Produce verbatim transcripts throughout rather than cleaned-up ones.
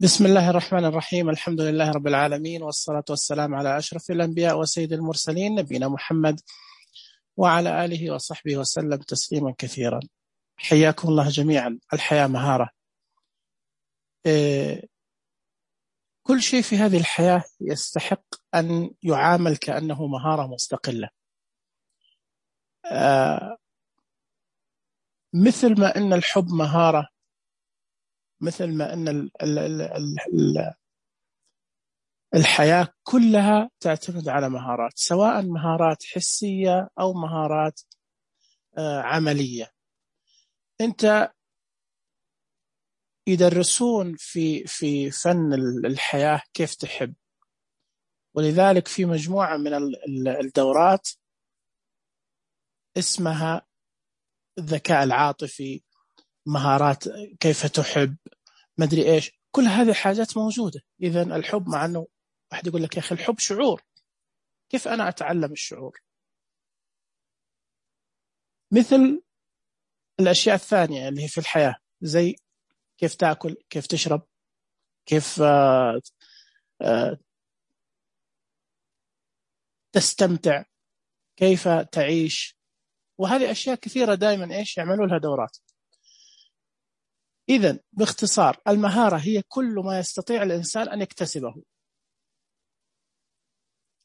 بسم الله الرحمن الرحيم. الحمد لله رب العالمين، والصلاة والسلام على أشرف الأنبياء وسيد المرسلين نبينا محمد وعلى آله وصحبه وسلم تسليما كثيرا. حياكم الله جميعا. الحياة مهارة. إيه كل شيء في هذه الحياة يستحق أن يعامل كأنه مهارة مستقلة. آه مثل ما أن الحب مهارة، مثل ما أن ال ال ال ال الحياة كلها تعتمد على مهارات، سواء مهارات حسية أو مهارات آه عملية. أنت يدرسون في في فن الحياة كيف تحب، ولذلك في مجموعة من الدورات اسمها الذكاء العاطفي، مهارات كيف تحب، مدري إيش، كل هذه الحاجات موجودة. إذن الحب، مع أنه واحد يقول لك يا أخي الحب شعور، كيف أنا أتعلم الشعور؟ مثل الأشياء الثانية اللي هي في الحياة، زي كيف تأكل، كيف تشرب، كيف آه آه تستمتع، كيف تعيش، وهذه أشياء كثيرة دائما إيش يعملوا لها دورات. إذن باختصار، المهارة هي كل ما يستطيع الإنسان أن يكتسبه،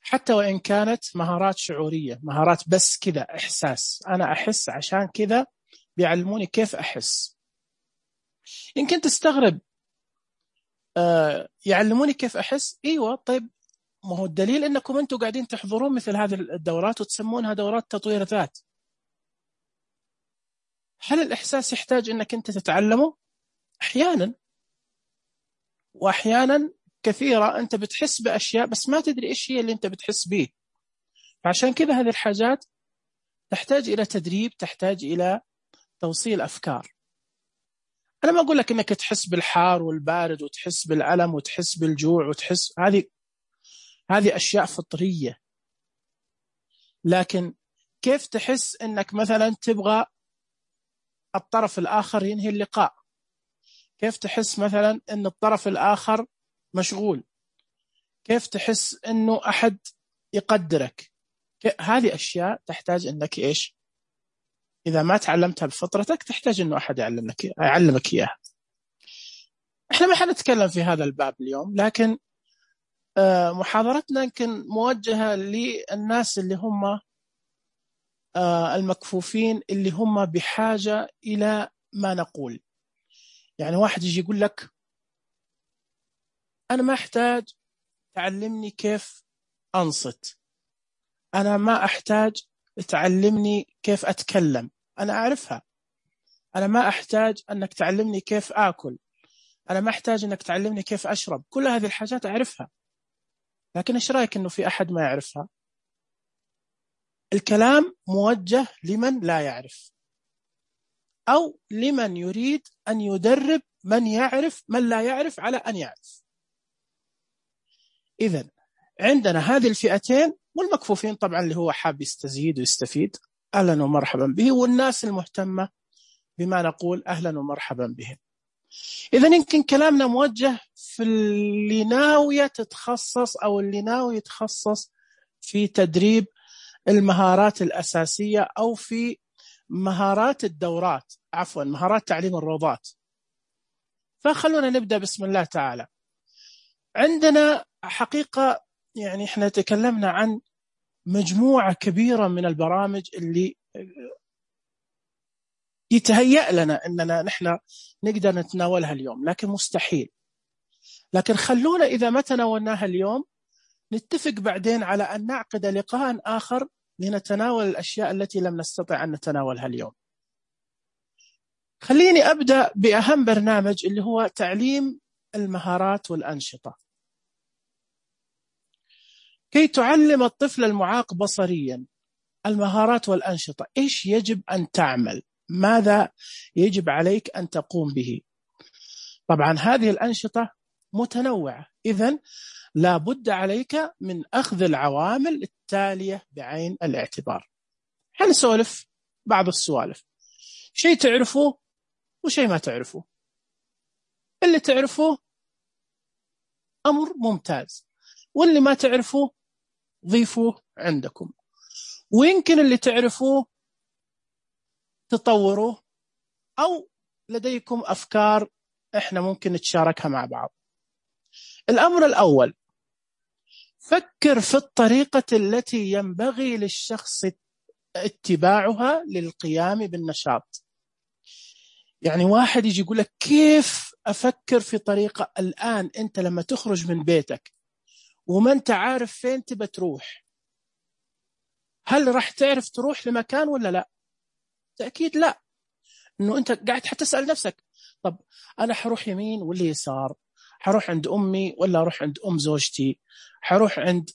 حتى وإن كانت مهارات شعورية، مهارات بس كذا إحساس، أنا أحس عشان كذا بيعلموني كيف أحس. يمكن تستغرب، آه يعلموني كيف أحس؟ إيوه، طيب ما هو الدليل أنكم أنتم قاعدين تحضرون مثل هذه الدورات وتسمونها دورات تطوير ذات. هل الإحساس يحتاج أنك أنت تتعلمه؟ أحيانا، وأحيانا كثيرة أنت بتحس بأشياء بس ما تدري إيش هي اللي أنت بتحس به. عشان كذا هذه الحاجات تحتاج إلى تدريب، تحتاج إلى توصيل أفكار. أنا ما أقول لك أنك تحس بالحار والبارد وتحس بالألم وتحس بالجوع وتحس، هذه هذه أشياء فطرية. لكن كيف تحس أنك مثلا تبغى الطرف الآخر ينهي اللقاء؟ كيف تحس مثلا أن الطرف الآخر مشغول؟ كيف تحس أنه أحد يقدرك؟ هذه أشياء تحتاج أنك إيش، إذا ما تعلمتها بفطرتك تحتاج أنه أحد يعلمك يعلمك إياها. إحنا ما حنتكلم في هذا الباب اليوم، لكن محاضرتنا يمكن موجهة للناس اللي هم المكفوفين، اللي هم بحاجة إلى ما نقول. يعني واحد يجي يقول لك أنا ما أحتاج تعلمني كيف أنصت، أنا ما أحتاج تعلمني كيف أتكلم، أنا أعرفها. أنا ما أحتاج أنك تعلمني كيف آكل، أنا ما أحتاج أنك تعلمني كيف أشرب، كل هذه الحاجات أعرفها. لكن إيش رأيك أنه في أحد ما يعرفها؟ الكلام موجه لمن لا يعرف، أو لمن يريد أن يدرب من يعرف من لا يعرف على أن يعرف. إذن عندنا هذه الفئتين، والمكفوفين طبعا اللي هو حاب يستزيد ويستفيد، أهلا ومرحبا به، والناس المهتمة بما نقول أهلا ومرحبا بهم. إذن يمكن كلامنا موجه في اللي ناوية تتخصص أو اللي ناوي يتخصص في تدريب المهارات الأساسية، أو في مهارات الدورات، عفوا مهارات تعليم الروضات. فخلونا نبدأ بسم الله تعالى. عندنا حقيقة يعني إحنا تكلمنا عن مجموعة كبيرة من البرامج اللي يتهيأ لنا أننا نحن نقدر نتناولها اليوم، لكن مستحيل. لكن خلونا إذا ما تناولناها اليوم نتفق بعدين على أن نعقد لقاء آخر لنتناول الأشياء التي لم نستطع أن نتناولها اليوم. خليني أبدأ بأهم برنامج اللي هو تعليم المهارات والأنشطة. كي تعلم الطفل المعاق بصريا المهارات والأنشطة، إيش يجب أن تعمل؟ ماذا يجب عليك أن تقوم به؟ طبعا هذه الأنشطة متنوعة، إذن لا بد عليك من أخذ العوامل التالية بعين الاعتبار. حنسولف بعض السوالف، شيء تعرفوه وشيء ما تعرفوه. اللي تعرفوه أمر ممتاز، واللي ما تعرفوه ضيفوه عندكم، ويمكن اللي تعرفوه تطوروه، أو لديكم أفكار إحنا ممكن نتشاركها مع بعض. الأمر الأول، فكر في الطريقة التي ينبغي للشخص اتباعها للقيام بالنشاط. يعني واحد يجي يقول لك كيف أفكر في طريقة؟ الآن أنت لما تخرج من بيتك وما أنت عارف فين تبى تروح، هل راح تعرف تروح لمكان ولا لا؟ تأكيد لا. إنه أنت قاعد حتسأل نفسك، طب أنا حروح يمين ولا يسار؟ حروح عند أمي ولا أروح عند أم زوجتي؟ حروح عند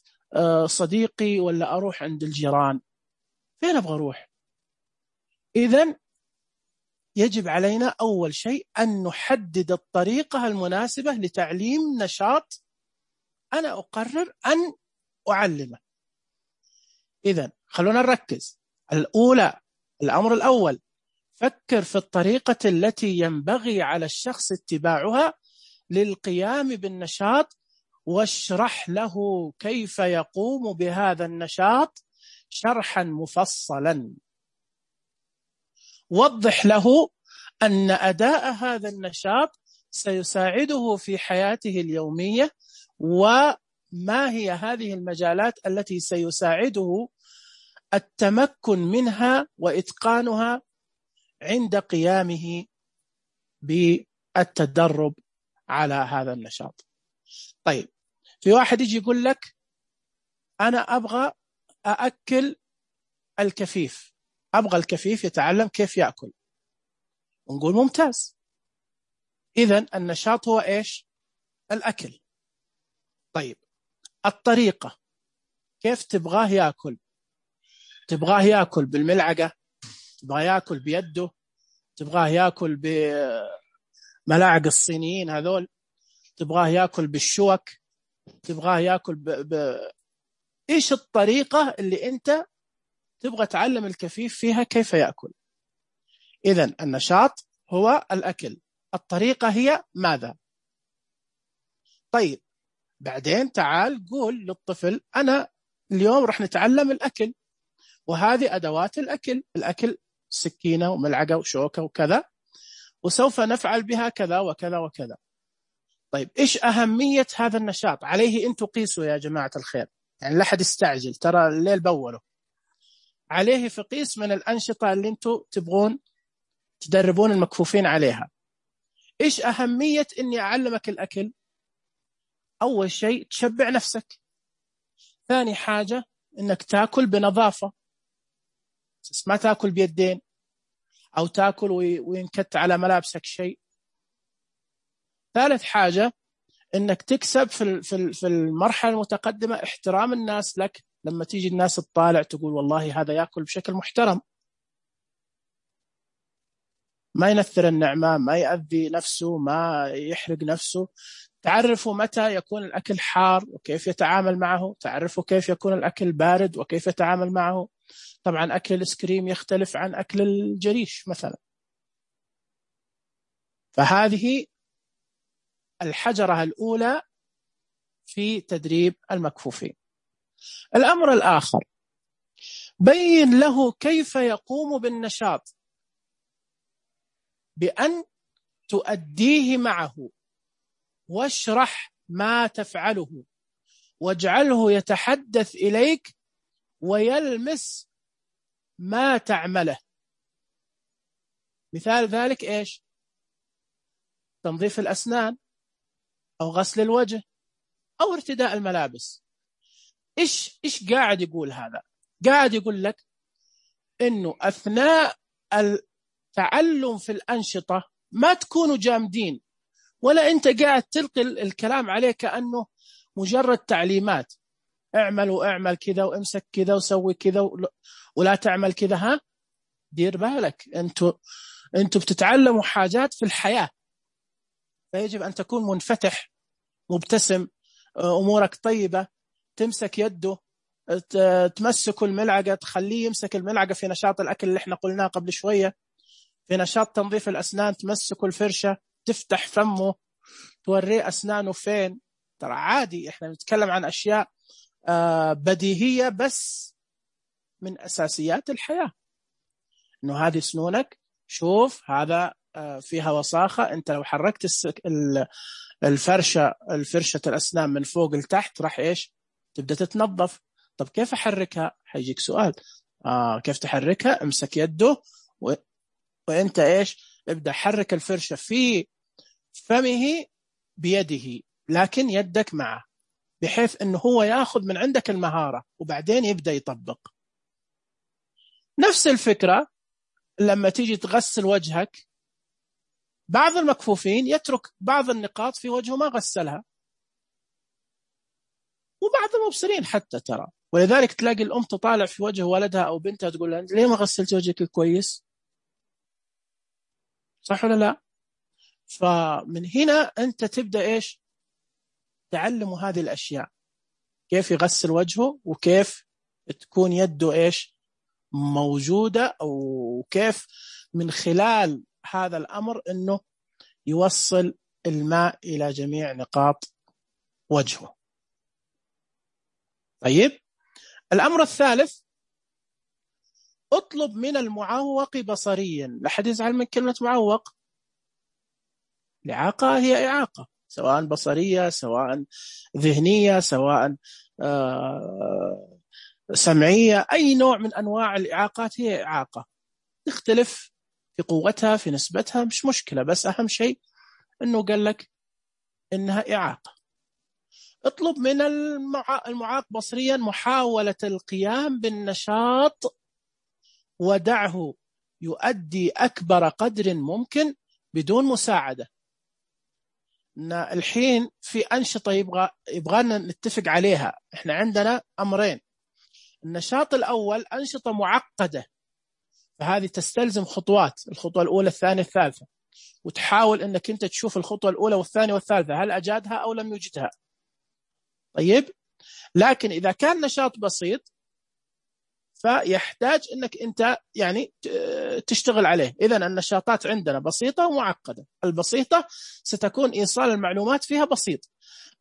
صديقي ولا أروح عند الجيران؟ فين أبغى أروح؟ إذن يجب علينا أول شيء أن نحدد الطريقة المناسبة لتعليم نشاط أنا أقرر أن أعلمه. إذن خلونا نركز. الأولى، الأمر الأول، فكر في الطريقة التي ينبغي على الشخص اتباعها للقيام بالنشاط، واشرح له كيف يقوم بهذا النشاط شرحا مفصلا. وضح له أن أداء هذا النشاط سيساعده في حياته اليومية، وما هي هذه المجالات التي سيساعده التمكن منها وإتقانها عند قيامه بالتدرب على هذا النشاط. طيب، في واحد يجي يقول لك أنا أبغى أأكل الكفيف، أبغى الكفيف يتعلم كيف يأكل. ونقول ممتاز، إذن النشاط هو إيش؟ الأكل. طيب، الطريقة كيف تبغاه يأكل؟ تبغاه يأكل بالملعقة؟ تبغاه يأكل بيده؟ تبغاه يأكل بملاعق الصينيين هذول؟ تبغاه يأكل بالشوك؟ تبغاه يأكل ب... ب... إيش الطريقة اللي أنت تبغى تعلم الكفيف فيها كيف يأكل؟ إذن النشاط هو الأكل، الطريقة هي ماذا؟ طيب، بعدين تعال قول للطفل أنا اليوم رح نتعلم الأكل، وهذه أدوات الأكل، الأكل سكينة وملعقة وشوكة وكذا، وسوف نفعل بها كذا وكذا وكذا. طيب، إيش أهمية هذا النشاط؟ عليه أن تقيسوا يا جماعة الخير، يعني لا حد يستعجل، ترى الليل بوله. عليه في قيس من الأنشطة اللي أنتوا تبغون تدربون المكفوفين عليها. إيش أهمية أني أعلمك الأكل؟ أول شيء تشبع نفسك، ثاني حاجة أنك تأكل بنظافة، ما تأكل بيدين أو تأكل وينكت على ملابسك شيء، ثالث حاجة أنك تكسب في في المرحلة المتقدمة احترام الناس لك، لما تيجي الناس تطالع تقول والله هذا يأكل بشكل محترم، ما ينثر النعمة، ما يأذي نفسه، ما يحرق نفسه. تعرفوا متى يكون الأكل حار وكيف يتعامل معه، تعرفوا كيف يكون الأكل بارد وكيف يتعامل معه. طبعا أكل الإسكريم يختلف عن أكل الجريش مثلا. فهذه الحجرة الأولى في تدريب المكفوفين. الأمر الآخر، بين له كيف يقوم بالنشاط بأن تؤديه معه، واشرح ما تفعله، واجعله يتحدث إليك ويلمس ما تعمله. مثال ذلك إيش؟ تنظيف الأسنان، أو غسل الوجه، أو ارتداء الملابس. إيش إيش قاعد يقول هذا؟ قاعد يقول لك إنه أثناء التعلم في الأنشطة ما تكونوا جامدين، ولا أنت قاعد تلقي الكلام عليه كأنه مجرد تعليمات، اعمل واعمل كذا وامسك كذا وسوي كذا ولا تعمل كذا. ها، دير بالك، أنتوا أنتوا بتتعلموا حاجات في الحياة، فيجب أن تكون منفتح، مبتسم، أمورك طيبة، تمسك يده، تمسك الملعقة، تخليه يمسك الملعقة في نشاط الأكل اللي احنا قلناه قبل شوية. في نشاط تنظيف الأسنان تمسك الفرشة، تفتح فمه، توريه أسنانه فين، ترى عادي، إحنا نتكلم عن أشياء بديهية بس من أساسيات الحياة، إنه هذه سنونك، شوف هذا فيها وساخة، أنت لو حركت الفرشة الفرشة الأسنان من فوق لتحت راح إيش تبدأ تتنظف. طب كيف أحركها؟ حيجيك سؤال، آه كيف تحركها؟ امسك يده و... وأنت إيش ابدأ حرك الفرشة في فمه بيده، لكن يدك معه، بحيث أنه هو يأخذ من عندك المهارة وبعدين يبدأ يطبق. نفس الفكرة لما تيجي تغسل وجهك، بعض المكفوفين يترك بعض النقاط في وجهه ما غسلها، وبعض المبصرين حتى ترى، ولذلك تلاقي الأم تطالع في وجه ولدها أو بنتها تقول لها ليه ما غسلت وجهك كويس؟ صح ولا لا؟ فمن هنا أنت تبدأ إيش تعلموا هذه الأشياء، كيف يغسل وجهه وكيف تكون يده إيش موجودة، أو كيف من خلال هذا الأمر أنه يوصل الماء إلى جميع نقاط وجهه. طيب، الأمر الثالث، اطلب من المعوق بصريا. لا حد يزعل من كلمة معوق، الإعاقة هي إعاقة، سواء بصرية سواء ذهنية سواء آه سمعية، أي نوع من أنواع الإعاقات هي إعاقة، تختلف في قوتها في نسبتها، مش مشكلة، بس أهم شيء أنه قال لك إنها إعاقة. اطلب من المعاق بصريا محاولة القيام بالنشاط ودعه يؤدي أكبر قدر ممكن بدون مساعدة. الحين في أنشطة يبغى يبغانا نتفق عليها. إحنا عندنا أمرين، النشاط الأول أنشطة معقدة، فهذه تستلزم خطوات، الخطوة الأولى الثانية الثالثة، وتحاول أنك أنت تشوف الخطوة الأولى والثانية والثالثة هل أجادها أو لم يجدها. طيب، لكن إذا كان نشاط بسيط فيحتاج أنك أنت يعني تشتغل عليه. إذن النشاطات عندنا بسيطة ومعقدة. البسيطة ستكون إيصال المعلومات فيها بسيط،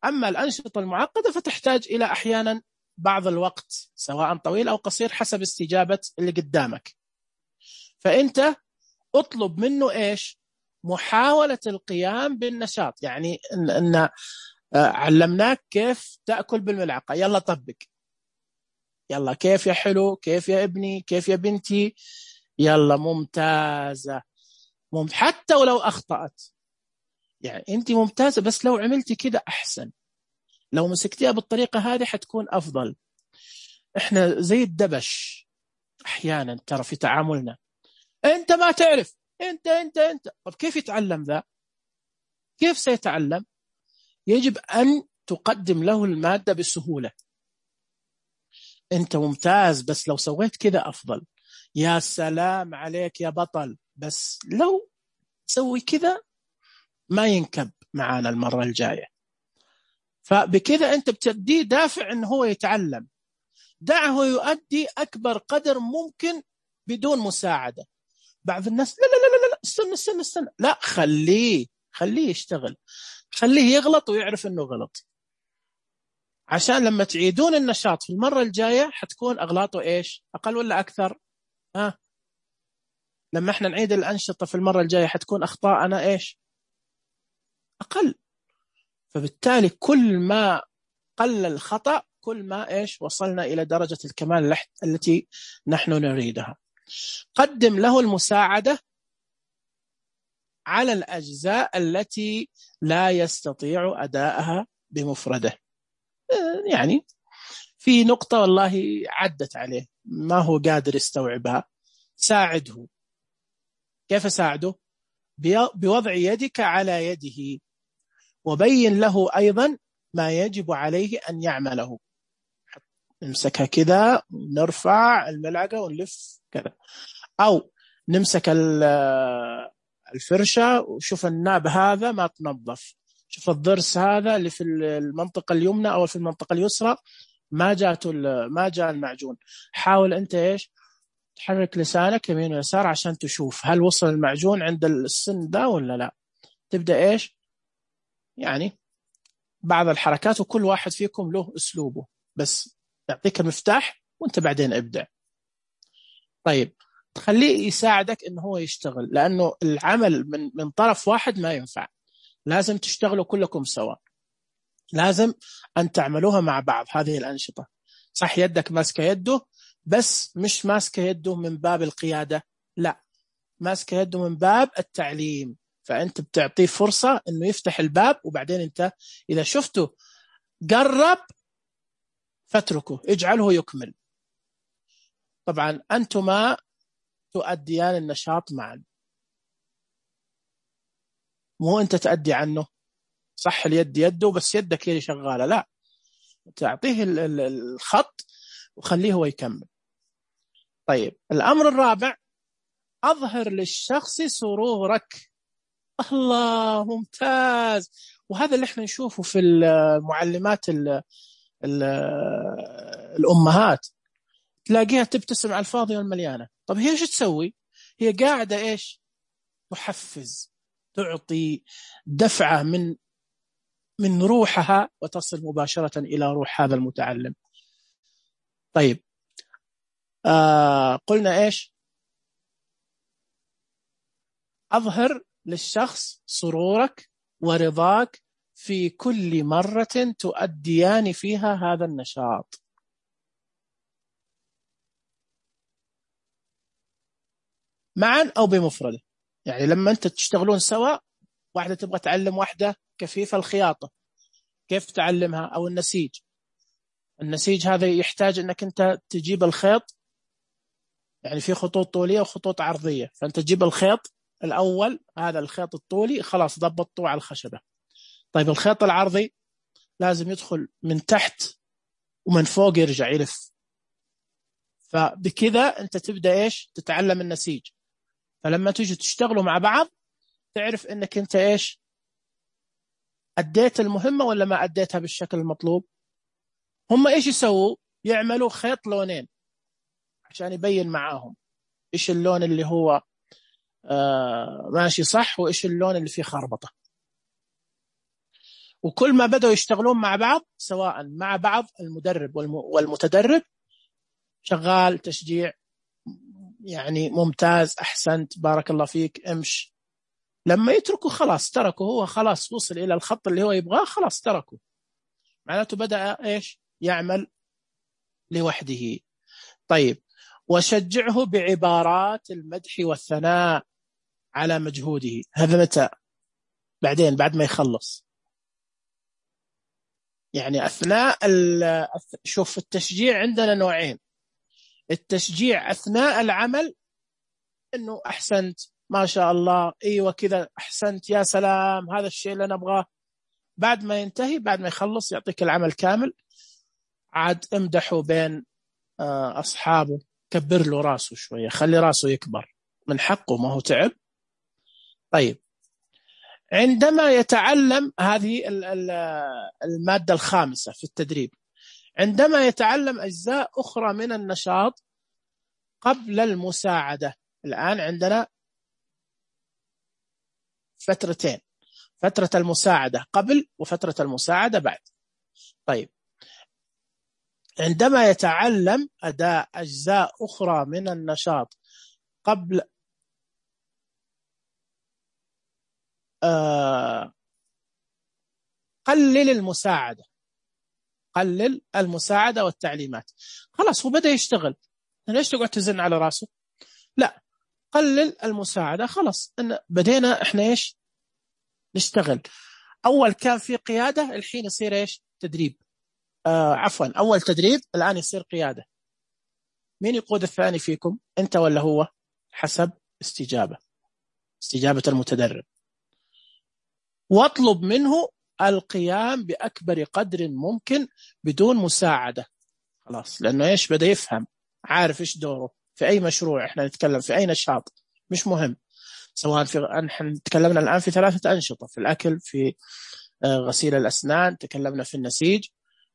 أما الأنشطة المعقدة فتحتاج إلى أحيانا بعض الوقت سواء طويل أو قصير حسب استجابة اللي قدامك. فأنت اطلب منه إيش؟ محاولة القيام بالنشاط، يعني إن, إن علمناك كيف تأكل بالملعقة، يلا طبق، يلا كيف يا حلو، كيف يا ابني، كيف يا بنتي، يلا ممتازة ممت... حتى ولو أخطأت يعني أنت ممتازة، بس لو عملتي كده أحسن، لو مسكتيها بالطريقة هذه حتكون أفضل. إحنا زي الدبش أحيانا ترى في تعاملنا، أنت ما تعرف، أنت أنت أنت طب كيف يتعلم ذا؟ كيف سيتعلم؟ يجب أن تقدم له المادة بسهولة. أنت ممتاز بس لو سويت كذا أفضل، يا سلام عليك يا بطل، بس لو سوي كذا ما ينكب معانا المرة الجاية. فبكذا أنت بتديه دافع أنه هو يتعلم، دعه يؤدي أكبر قدر ممكن بدون مساعدة. بعض الناس لا لا لا لا لا استنى استنى استنى لا خليه خليه يشتغل، خليه يغلط ويعرف أنه غلط، عشان لما تعيدون النشاط في المرة الجاية حتكون أغلاطه إيش؟ أقل ولا أكثر؟ ها؟ لما احنا نعيد الأنشطة في المرة الجاية حتكون أخطاءنا إيش؟ أقل. فبالتالي كل ما قل الخطأ كل ما إيش وصلنا إلى درجة الكمال التي نحن نريدها. قدم له المساعدة على الأجزاء التي لا يستطيع أداءها بمفرده. يعني في نقطة والله عدت عليه ما هو قادر يستوعبها، ساعده. كيف ساعده؟ بوضع يدك على يده، وبين له أيضا ما يجب عليه أن يعمله. نمسكها كذا، نرفع الملعقة ونلف كذا، أو نمسك الفرشة وشوف الناب هذا ما تنظف، شوف الضرس هذا اللي في المنطقة اليمنى أو في المنطقة اليسرى ما جاءته ما جاء المعجون. حاول أنت إيش تحرك لسانك يمين ويسار عشان تشوف هل وصل المعجون عند السن ده ولا لا. تبدأ إيش يعني بعض الحركات، وكل واحد فيكم له أسلوبه، بس يعطيك المفتاح وانت بعدين ابدع. طيب تخليه يساعدك انه هو يشتغل، لانه العمل من من طرف واحد ما ينفع، لازم تشتغلوا كلكم سوا، لازم ان تعملوها مع بعض. هذه الأنشطة صح يدك ماسكة يده، بس مش ماسكة يده من باب القيادة، لا، ماسكة يده من باب التعليم. فأنت بتعطيه فرصة أنه يفتح الباب، وبعدين أنت إذا شفته قرب فاتركه، اجعله يكمل. طبعا أنتما تؤديان النشاط معا، مو أنت تأدي عنه. صح اليد يده، بس يدك هي شغالة، لا، تعطيه الخط وخليه هو يكمل. طيب الأمر الرابع، أظهر للشخص سرورك. الله، ممتاز. وهذا اللي احنا نشوفه في المعلمات ال ال الأمهات، تلاقيها تبتسم على الفاضي والمليانة. طب هي ايش تسوي؟ هي قاعدة ايش؟ تحفز، تعطي دفعة من من روحها، وتصل مباشرة إلى روح هذا المتعلم. طيب آه قلنا ايش؟ أظهر للشخص سرورك ورضاك في كل مرة تؤديان فيها هذا النشاط. معا أو بمفردة، يعني لما أنت تشتغلون سوا، واحدة تبغى تعلم واحدة كفيف الخياطة، كيف تعلمها؟ أو النسيج. النسيج هذا يحتاج أنك أنت تجيب الخيط، يعني في خطوط طولية وخطوط عرضية، فأنت تجيب الخيط الأول، هذا الخيط الطولي خلاص ضبطته على الخشبة. طيب الخيط العرضي لازم يدخل من تحت ومن فوق يرجع يلف. فبكذا أنت تبدأ إيش؟ تتعلم النسيج. فلما تيجي تشتغلوا مع بعض تعرف أنك أنت إيش؟ أديت المهمة ولا ما أديتها بالشكل المطلوب. هم إيش يسووا؟ يعملوا خيط لونين عشان يبين معاهم إيش اللون اللي هو آه ماشي صح، وإيش اللون اللي فيه خربطة. وكل ما بدأوا يشتغلون مع بعض، سواء مع بعض المدرب والمتدرب، شغال تشجيع، يعني ممتاز، أحسنت، بارك الله فيك، امش. لما يتركوا خلاص تركوا، هو خلاص وصل إلى الخط اللي هو يبغاه، خلاص تركوا، معناته بدأ إيش؟ يعمل لوحده. طيب وشجعه بعبارات المدح والثناء على مجهوده. هذا متى؟ بعدين بعد ما يخلص، يعني أثناء شوف التشجيع عندنا نوعين. التشجيع أثناء العمل، إنه أحسنت، ما شاء الله، أيوة كذا، أحسنت، يا سلام، هذا الشيء اللي نبغاه. بعد ما ينتهي، بعد ما يخلص يعطيك العمل كامل، عاد امدحه بين أصحابه، كبر له راسه شوية، خلي راسه يكبر، من حقه، ما هو تعب. طيب عندما يتعلم، هذه المادة الخامسة في التدريب، عندما يتعلم أجزاء أخرى من النشاط قبل المساعدة. الآن عندنا فترتين، فترة المساعدة قبل وفترة المساعدة بعد. طيب عندما يتعلم أداء أجزاء أخرى من النشاط قبل آه قلل المساعدة، قلل المساعدة والتعليمات. خلاص هو بدأ يشتغل، ليش تقعد تزن على راسه؟ لا، قلل المساعدة، خلاص إن بدينا إحنا إيش؟ نشتغل. أول كان في قيادة، الحين يصير إيش؟ تدريب. آه عفوا، أول تدريب، الآن يصير قيادة. مين يقود الثاني فيكم؟ أنت ولا هو؟ حسب استجابة استجابة المتدرب. واطلب منه القيام بأكبر قدر ممكن بدون مساعدة، خلاص، لأنه إيش؟ بدأ يفهم، عارف إيش دوره في أي مشروع. إحنا نتكلم في أي نشاط، مش مهم، سواء في، نحن تكلمنا الآن في ثلاثة أنشطة، في الأكل، في غسيل الأسنان، تكلمنا في النسيج،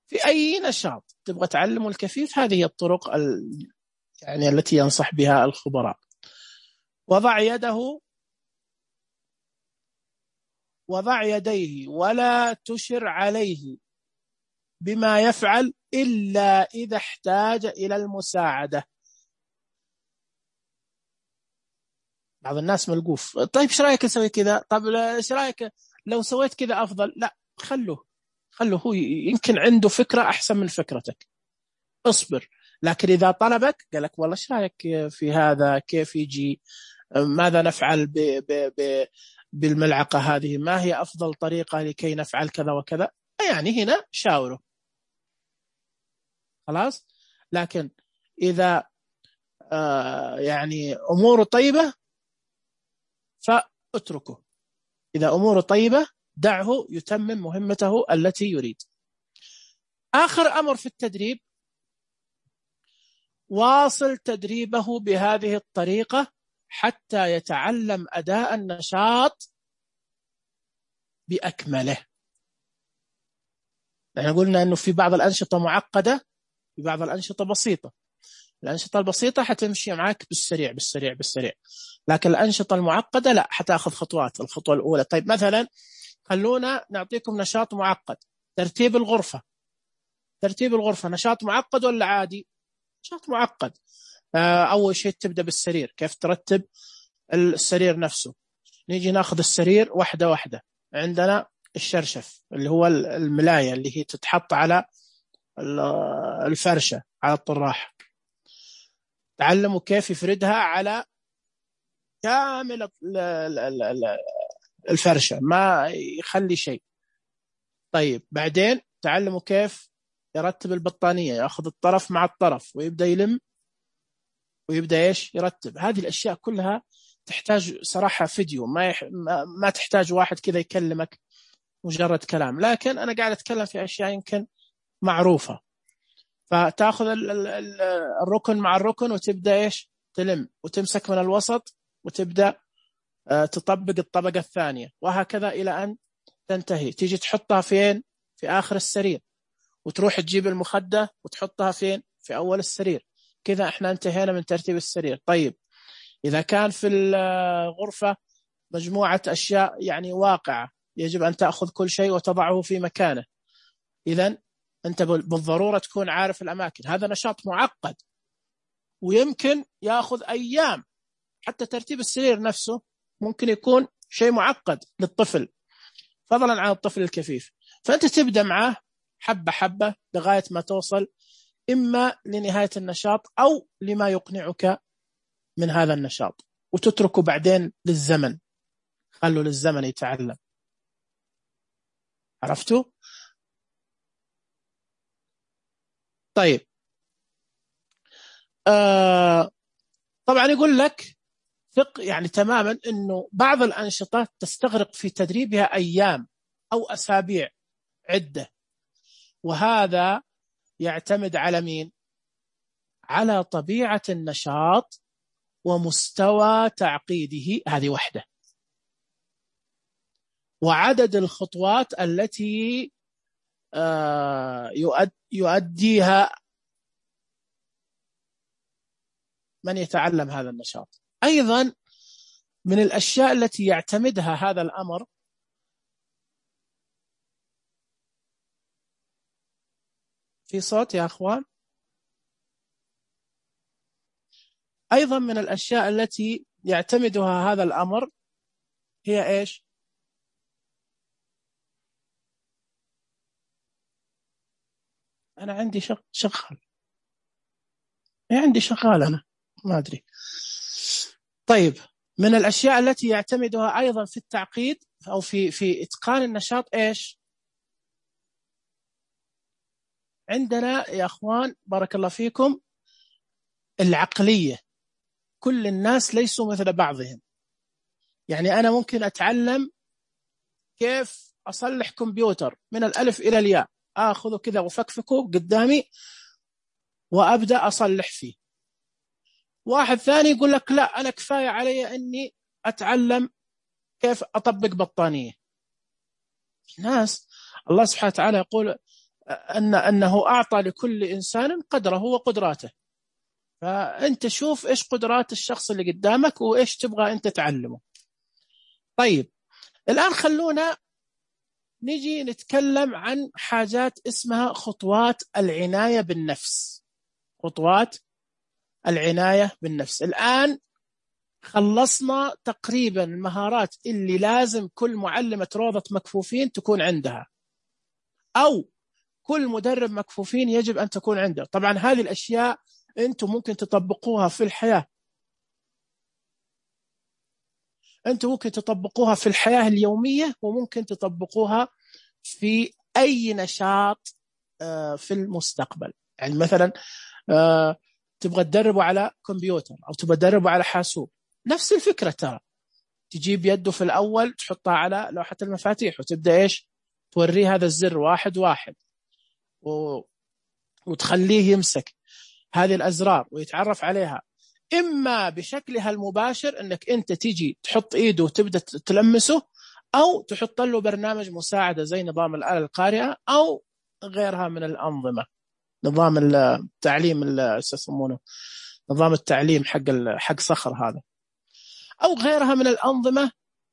في أي نشاط تبغى تعلمه الكفيف، هذه هي الطرق ال... يعني التي ينصح بها الخبراء. وضع يده وضع يديه ولا تشر عليه بما يفعل إلا إذا احتاج إلى المساعدة. بعض الناس ملقوف، طيب ايش رايك اسوي كذا؟ طب ايش رايك لو سويت كذا افضل؟ لا، خلوه خلوه هو يمكن عنده فكره احسن من فكرتك، اصبر. لكن اذا طلبك قال لك والله ايش رايك في هذا، كيف يجي، ماذا نفعل ب ب ب بالملعقه هذه، ما هي افضل طريقه لكي نفعل كذا وكذا، يعني هنا شاوره خلاص. لكن اذا آه يعني اموره طيبه فاتركه، إذا أموره طيبة دعه يتمم مهمته التي يريد. آخر أمر في التدريب، واصل تدريبه بهذه الطريقة حتى يتعلم أداء النشاط بأكمله. نحن قلنا أنه في بعض الأنشطة معقدة، في بعض الأنشطة بسيطة. الأنشطة البسيطة حتمشي معك بالسريع بالسريع بالسريع، لكن الأنشطة المعقدة لا، حتاخذ خطوات. الخطوة الأولى، طيب مثلا خلونا نعطيكم نشاط معقد، ترتيب الغرفة. ترتيب الغرفة نشاط معقد ولا عادي؟ نشاط معقد. أول شيء تبدأ بالسرير، كيف ترتب السرير نفسه. نيجي ناخذ السرير واحدة واحدة. عندنا الشرشف اللي هو الملاية اللي هي تتحط على الفرشة على الطراح، تعلموا كيف يفردها على كامل الفرشة ما يخلي شيء. طيب بعدين تعلموا كيف يرتب البطانية، يأخذ الطرف مع الطرف ويبدأ يلم ويبدأ إيش يرتب. هذه الأشياء كلها تحتاج صراحة فيديو، ما, يح... ما تحتاج واحد كذا يكلمك مجرد كلام، لكن أنا قاعد أتكلم في أشياء يمكن معروفة. فتأخذ الركن مع الركن وتبدأ إيش تلم، وتمسك من الوسط وتبدأ تطبق الطبقة الثانية، وهكذا إلى أن تنتهي. تيجي تحطها فين؟ في آخر السرير، وتروح تجيب المخدة وتحطها فين؟ في أول السرير. كذا احنا انتهينا من ترتيب السرير. طيب إذا كان في الغرفة مجموعة أشياء يعني واقعة، يجب أن تأخذ كل شيء وتضعه في مكانه، إذن أنت بالضرورة تكون عارف الأماكن. هذا نشاط معقد ويمكن يأخذ أيام، حتى ترتيب السرير نفسه ممكن يكون شيء معقد للطفل فضلا عن الطفل الكفيف. فأنت تبدأ معه حبة حبة لغاية ما توصل إما لنهاية النشاط أو لما يقنعك من هذا النشاط، وتتركه بعدين للزمن، خلوا للزمن يتعلم. عرفتوا؟ طيب آه طبعا يقول لك ثق يعني تماما أنه بعض الأنشطة تستغرق في تدريبها أيام أو أسابيع عدة، وهذا يعتمد على مين؟ على طبيعة النشاط ومستوى تعقيده، هذه وحده، وعدد الخطوات التي يؤديها من يتعلم هذا النشاط. أيضا من الأشياء التي يعتمدها هذا الأمر في صوت يا أخوان، أيضا من الأشياء التي يعتمدها هذا الأمر هي إيش؟ أنا عندي شغال عندي شغال أنا ما أدري. طيب من الأشياء التي يعتمدها أيضا في التعقيد أو في في إتقان النشاط إيش؟ عندنا يا أخوان بارك الله فيكم العقلية. كل الناس ليسوا مثل بعضهم. يعني أنا ممكن أتعلم كيف أصلح كمبيوتر من الألف إلى الياء، أخذه كذا وفكفكه قدامي وأبدأ أصلح فيه. واحد ثاني يقول لك لا، أنا كفاية علي أني أتعلم كيف أطبق بطانية. الناس الله سبحانه وتعالى يقول أن أنه أعطى لكل إنسان قدره وقدراته، فأنت شوف إيش قدرات الشخص اللي قدامك وإيش تبغى أنت تعلمه. طيب الآن خلونا نجي نتكلم عن حاجات اسمها خطوات العناية بالنفس. خطوات العناية بالنفس. الآن خلصنا تقريبا المهارات اللي لازم كل معلمة روضة مكفوفين تكون عندها، أو كل مدرب مكفوفين يجب أن تكون عنده. طبعا هذه الأشياء أنتم ممكن تطبقوها في الحياة، أنتم ممكن تطبقوها في الحياة اليومية، وممكن تطبقوها في أي نشاط في المستقبل. يعني مثلا تبغى تدربوا على كمبيوتر أو تبغى تدربوا على حاسوب، نفس الفكرة. ترى تجيب يده في الأول تحطها على لوحة المفاتيح وتبدأ إيش توريه هذا الزر واحد واحد و... وتخليه يمسك هذه الأزرار ويتعرف عليها، إما بشكلها المباشر أنك أنت تيجي تحط إيده وتبدأ تلمسه، أو تحط له برنامج مساعدة زي نظام الآلة القارئة أو غيرها من الأنظمة، نظام التعليم اللي يسمونه نظام التعليم حق حق صخر هذا، أو غيرها من الأنظمة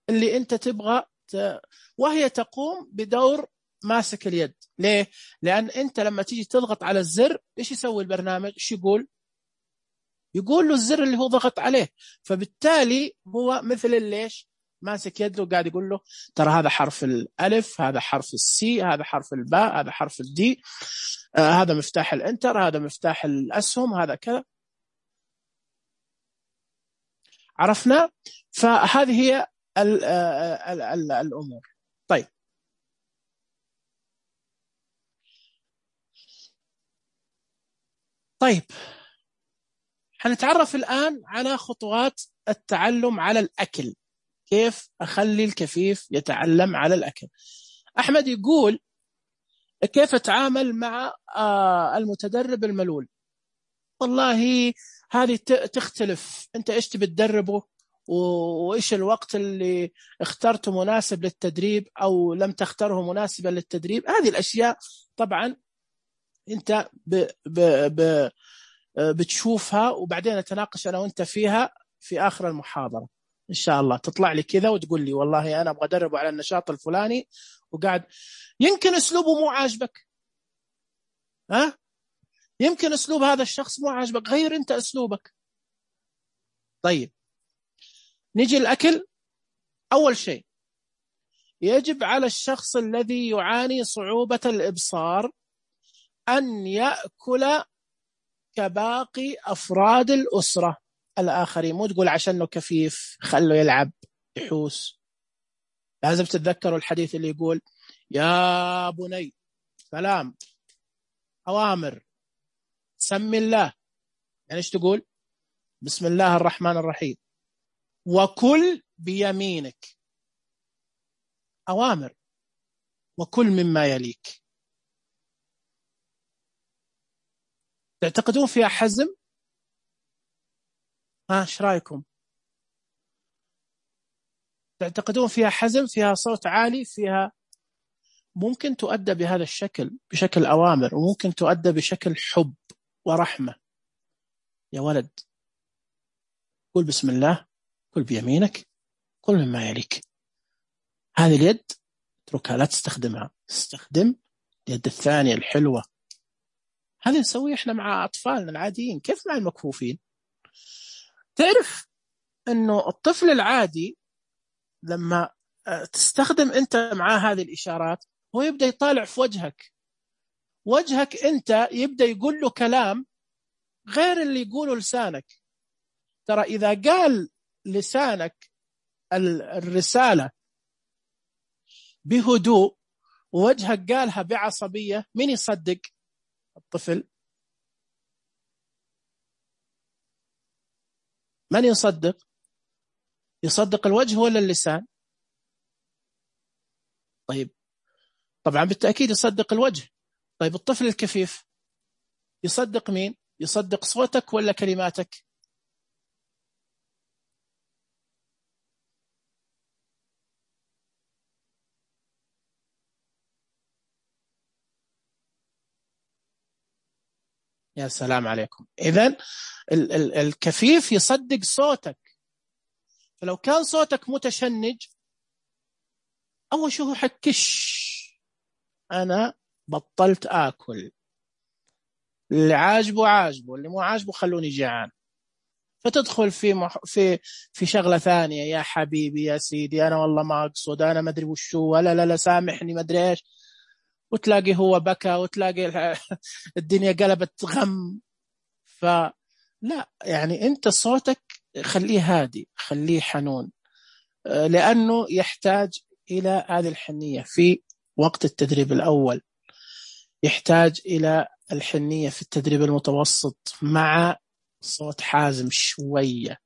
اللي أنت تبغى ت... وهي تقوم بدور ماسك اليد. ليه؟ لأن أنت لما تيجي تضغط على الزر إيش يسوي البرنامج؟ إيش يقول؟ يقول له الزر اللي هو ضغط عليه، فبالتالي هو مثل ليش ماسك يده وقاعد يقول له ترى هذا حرف الألف، هذا حرف السي، هذا حرف الباء، هذا حرف الدي، آه هذا مفتاح الانتر، هذا مفتاح الأسهم، هذا كذا. عرفنا؟ فهذه هي ال ال ال الأمور. طيب طيب حنتعرف الآن على خطوات التعلم على الأكل. كيف أخلي الكفيف يتعلم على الأكل؟ أحمد يقول كيف أتعامل مع المتدرب الملول؟ والله هذه تختلف، أنت إيش تبي تدربه، وإيش الوقت اللي اخترته مناسب للتدريب أو لم تختاره مناسبا للتدريب. هذه الأشياء طبعا أنت ب ب ب بتشوفها، وبعدين نتناقش أنا وأنت فيها في آخر المحاضرة إن شاء الله. تطلع لي كذا وتقول لي والله أنا أبغى أدربه على النشاط الفلاني، وقاعد يمكن أسلوبه مو عاجبك، ها؟ يمكن أسلوب هذا الشخص مو عاجبك، غير أنت أسلوبك. طيب نيجي الأكل. أول شيء يجب على الشخص الذي يعاني صعوبة الإبصار أن يأكل كباقي أفراد الأسرة الآخرين. مو تقول عشانه كفيف خلوا يلعب يحوس. لازم تتذكروا الحديث اللي يقول يا بني سلام أوامر سمي الله. يعني إيش تقول؟ بسم الله الرحمن الرحيم وكل بيمينك. أوامر وكل مما يليك. تعتقدون فيها حزم؟ ها ايش رايكم؟ تعتقدون فيها حزم، فيها صوت عالي، فيها ممكن تؤدى بهذا الشكل بشكل أوامر، وممكن تؤدى بشكل حب ورحمة. يا ولد قل بسم الله، كل بيمينك، كل مما يليك. هذه اليد اتركها لا تستخدمها، استخدم اليد الثانية الحلوة. هذا نسويه احنا مع أطفالنا العاديين، كيف مع المكفوفين؟ تعرف أنه الطفل العادي لما تستخدم أنت معاه هذه الإشارات هو يبدأ يطالع في وجهك، وجهك أنت يبدأ يقول له كلام غير اللي يقوله لسانك. ترى إذا قال لسانك الرسالة بهدوء ووجهك قالها بعصبية، من يصدق؟ الطفل. من يصدق؟ يصدق الوجه ولا اللسان؟ طيب طبعا بالتأكيد يصدق الوجه. طيب الطفل الكفيف يصدق مين؟ يصدق صوتك ولا كلماتك؟ يا سلام عليكم. إذن ال- ال- الكفيف يصدق صوتك. فلو كان صوتك متشنج أول شيء هو حكش، أنا بطلت آكل، اللي عاجبه عاجبه، اللي مو عاجبه خلوني جيعان. فتدخل في مح... في في شغلة ثانية، يا حبيبي يا سيدي أنا والله ما أقصد، أنا ما أدري وشو، ولا لا لا سامحني ما أدري إيش، وتلاقي هو بكى، وتلاقي الدنيا قلبت غم. فلا، يعني أنت صوتك خليه هادي، خليه حنون، لأنه يحتاج إلى هذه الحنية في وقت التدريب الأول، يحتاج إلى الحنية في التدريب المتوسط مع صوت حازم شوية.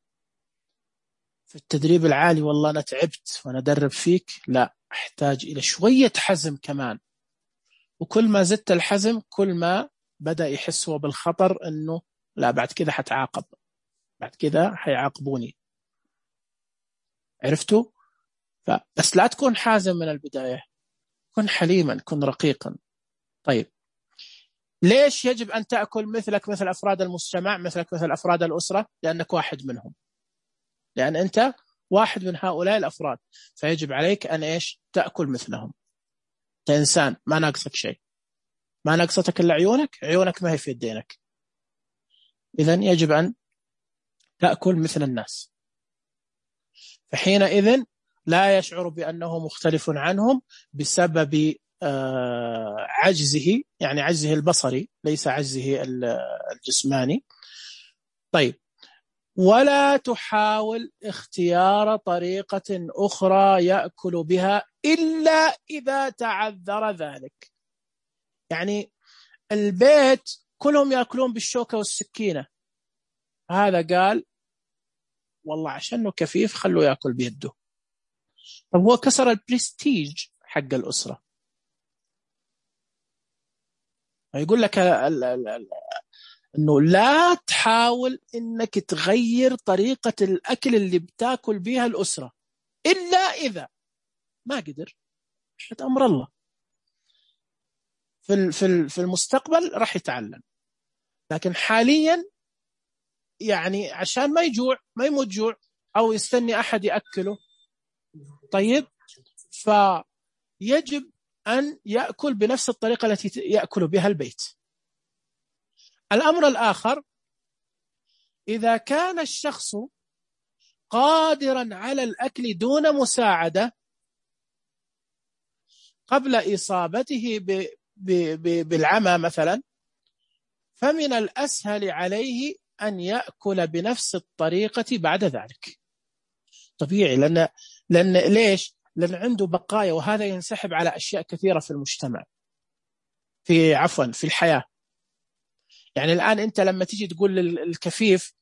في التدريب العالي والله أنا تعبت وأنا أدرب فيك، لا، أحتاج إلى شوية حزم كمان. وكل ما زدت الحزم كل ما بدأ يحس هو بالخطر، أنه لا بعد كذا حتعاقب، بعد كذا حيعاقبوني. عرفتوا؟ بس لا تكون حازم من البداية، كن حليما، كن رقيقا. طيب ليش يجب أن تأكل مثلك مثل أفراد المجتمع، مثلك مثل أفراد الأسرة؟ لأنك واحد منهم، لأن أنت واحد من هؤلاء الأفراد، فيجب عليك أن إيش؟ تأكل مثلهم. أنت إنسان ما ناقصك شيء، ما ناقصتك إلا عيونك، عيونك ما هي في يدينك، إذن يجب أن تأكل مثل الناس. فحينئذ لا يشعر بأنه مختلف عنهم بسبب عجزه، يعني عجزه البصري ليس عجزه الجسماني. طيب، ولا تحاول اختيار طريقة أخرى يأكل بها إلا إذا تعذر ذلك. يعني البيت كلهم يأكلون بالشوكة والسكينة، هذا قال والله عشانه كفيف خلوه يأكل بيده. طب هو كسر البرستيج حق الأسرة. يقول لك ال ال ال أنه لا تحاول أنك تغير طريقة الأكل اللي بتاكل بها الأسرة إلا إذا ما قدر، حد أمر الله في في في المستقبل راح يتعلم، لكن حاليا يعني عشان ما يجوع، ما يموت جوع أو يستني أحد يأكله. طيب، فيجب أن يأكل بنفس الطريقة التي يأكل بها البيت. الأمر الآخر، إذا كان الشخص قادرا على الأكل دون مساعدة قبل إصابته ب ب ب بالعمى مثلا، فمن الأسهل عليه أن يأكل بنفس الطريقة بعد ذلك. طبيعي، لأن, لأن ليش؟ لأن عنده بقايا، وهذا ينسحب على أشياء كثيرة في المجتمع، في عفوا في الحياة. يعني الآن أنت لما تيجي تقول للكفيف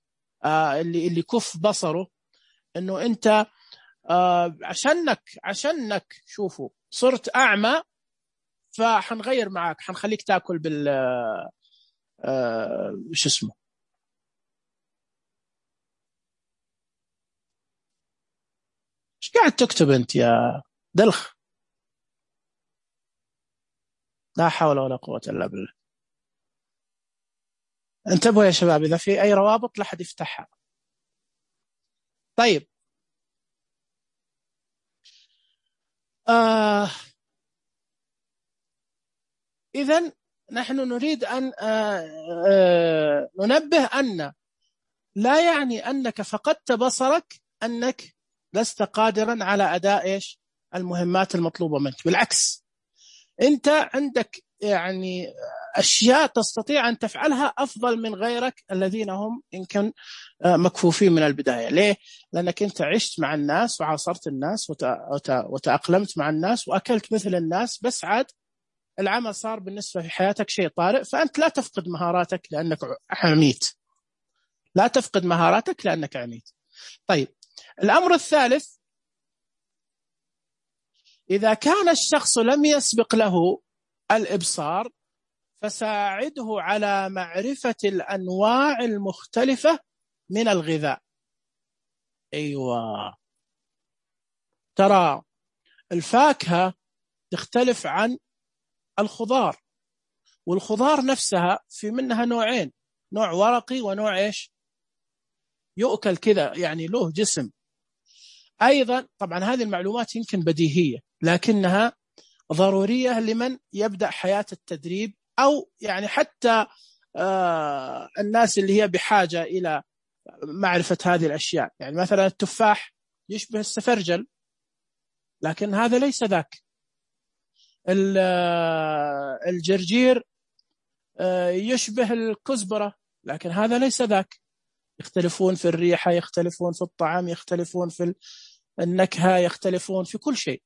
آه اللي اللي كف بصره إنه أنت آه عشانك عشانك شوفوا صرت أعمى، فحنغير معك، حنخليك تأكل بال آه شو اسمه ايش قاعد تكتب أنت يا دلخ؟ لا حول ولا قوة إلا بالله. انتبهوا يا شباب، إذا في أي روابط لا حد يفتحها. طيب، آه إذن نحن نريد أن آه آه ننبه أن لا يعني أنك فقدت بصرك أنك لست قادرا على أداء إيش المهمات المطلوبة منك. بالعكس، أنت عندك يعني أشياء تستطيع أن تفعلها أفضل من غيرك الذين هم إن كان مكفوفين من البداية. ليه؟ لأنك أنت عشت مع الناس وعاصرت الناس وتأقلمت مع الناس وأكلت مثل الناس، بس عاد العمل صار بالنسبة في حياتك شيء طارئ، فأنت لا تفقد مهاراتك لأنك عميت، لا تفقد مهاراتك لأنك عميت. طيب، الأمر الثالث، إذا كان الشخص لم يسبق له الإبصار فساعده على معرفة الأنواع المختلفة من الغذاء. أيوة، ترى الفاكهة تختلف عن الخضار، والخضار نفسها في منها نوعين، نوع ورقي ونوع إيش يؤكل كذا، يعني له جسم. أيضا طبعا هذه المعلومات يمكن بديهية، لكنها ضرورية لمن يبدأ حياة التدريب، أو يعني حتى آه الناس اللي هي بحاجة إلى معرفة هذه الأشياء. يعني مثلا التفاح يشبه السفرجل، لكن هذا ليس ذاك. الجرجير يشبه الكزبرة، لكن هذا ليس ذاك. يختلفون في الريحة، يختلفون في الطعام، يختلفون في النكهة، يختلفون في كل شيء،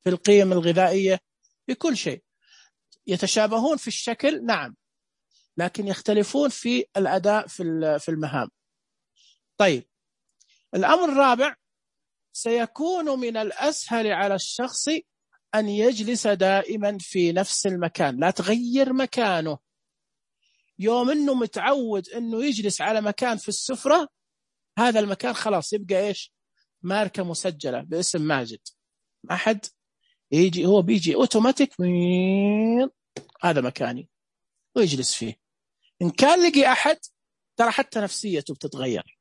في القيم الغذائية، في كل شيء. يتشابهون في الشكل نعم، لكن يختلفون في الأداء في المهام. طيب، الأمر الرابع: سيكون من الأسهل على الشخص أن يجلس دائما في نفس المكان، لا تغير مكانه. يوم أنه متعود أنه يجلس على مكان في السفرة، هذا المكان خلاص يبقى إيش؟ ماركة مسجلة باسم ماجد. أحد يجي هو بيجي أوتوماتيك، هذا مكاني، ويجلس فيه. إن كان لقي أحد، ترى حتى نفسيته بتتغير،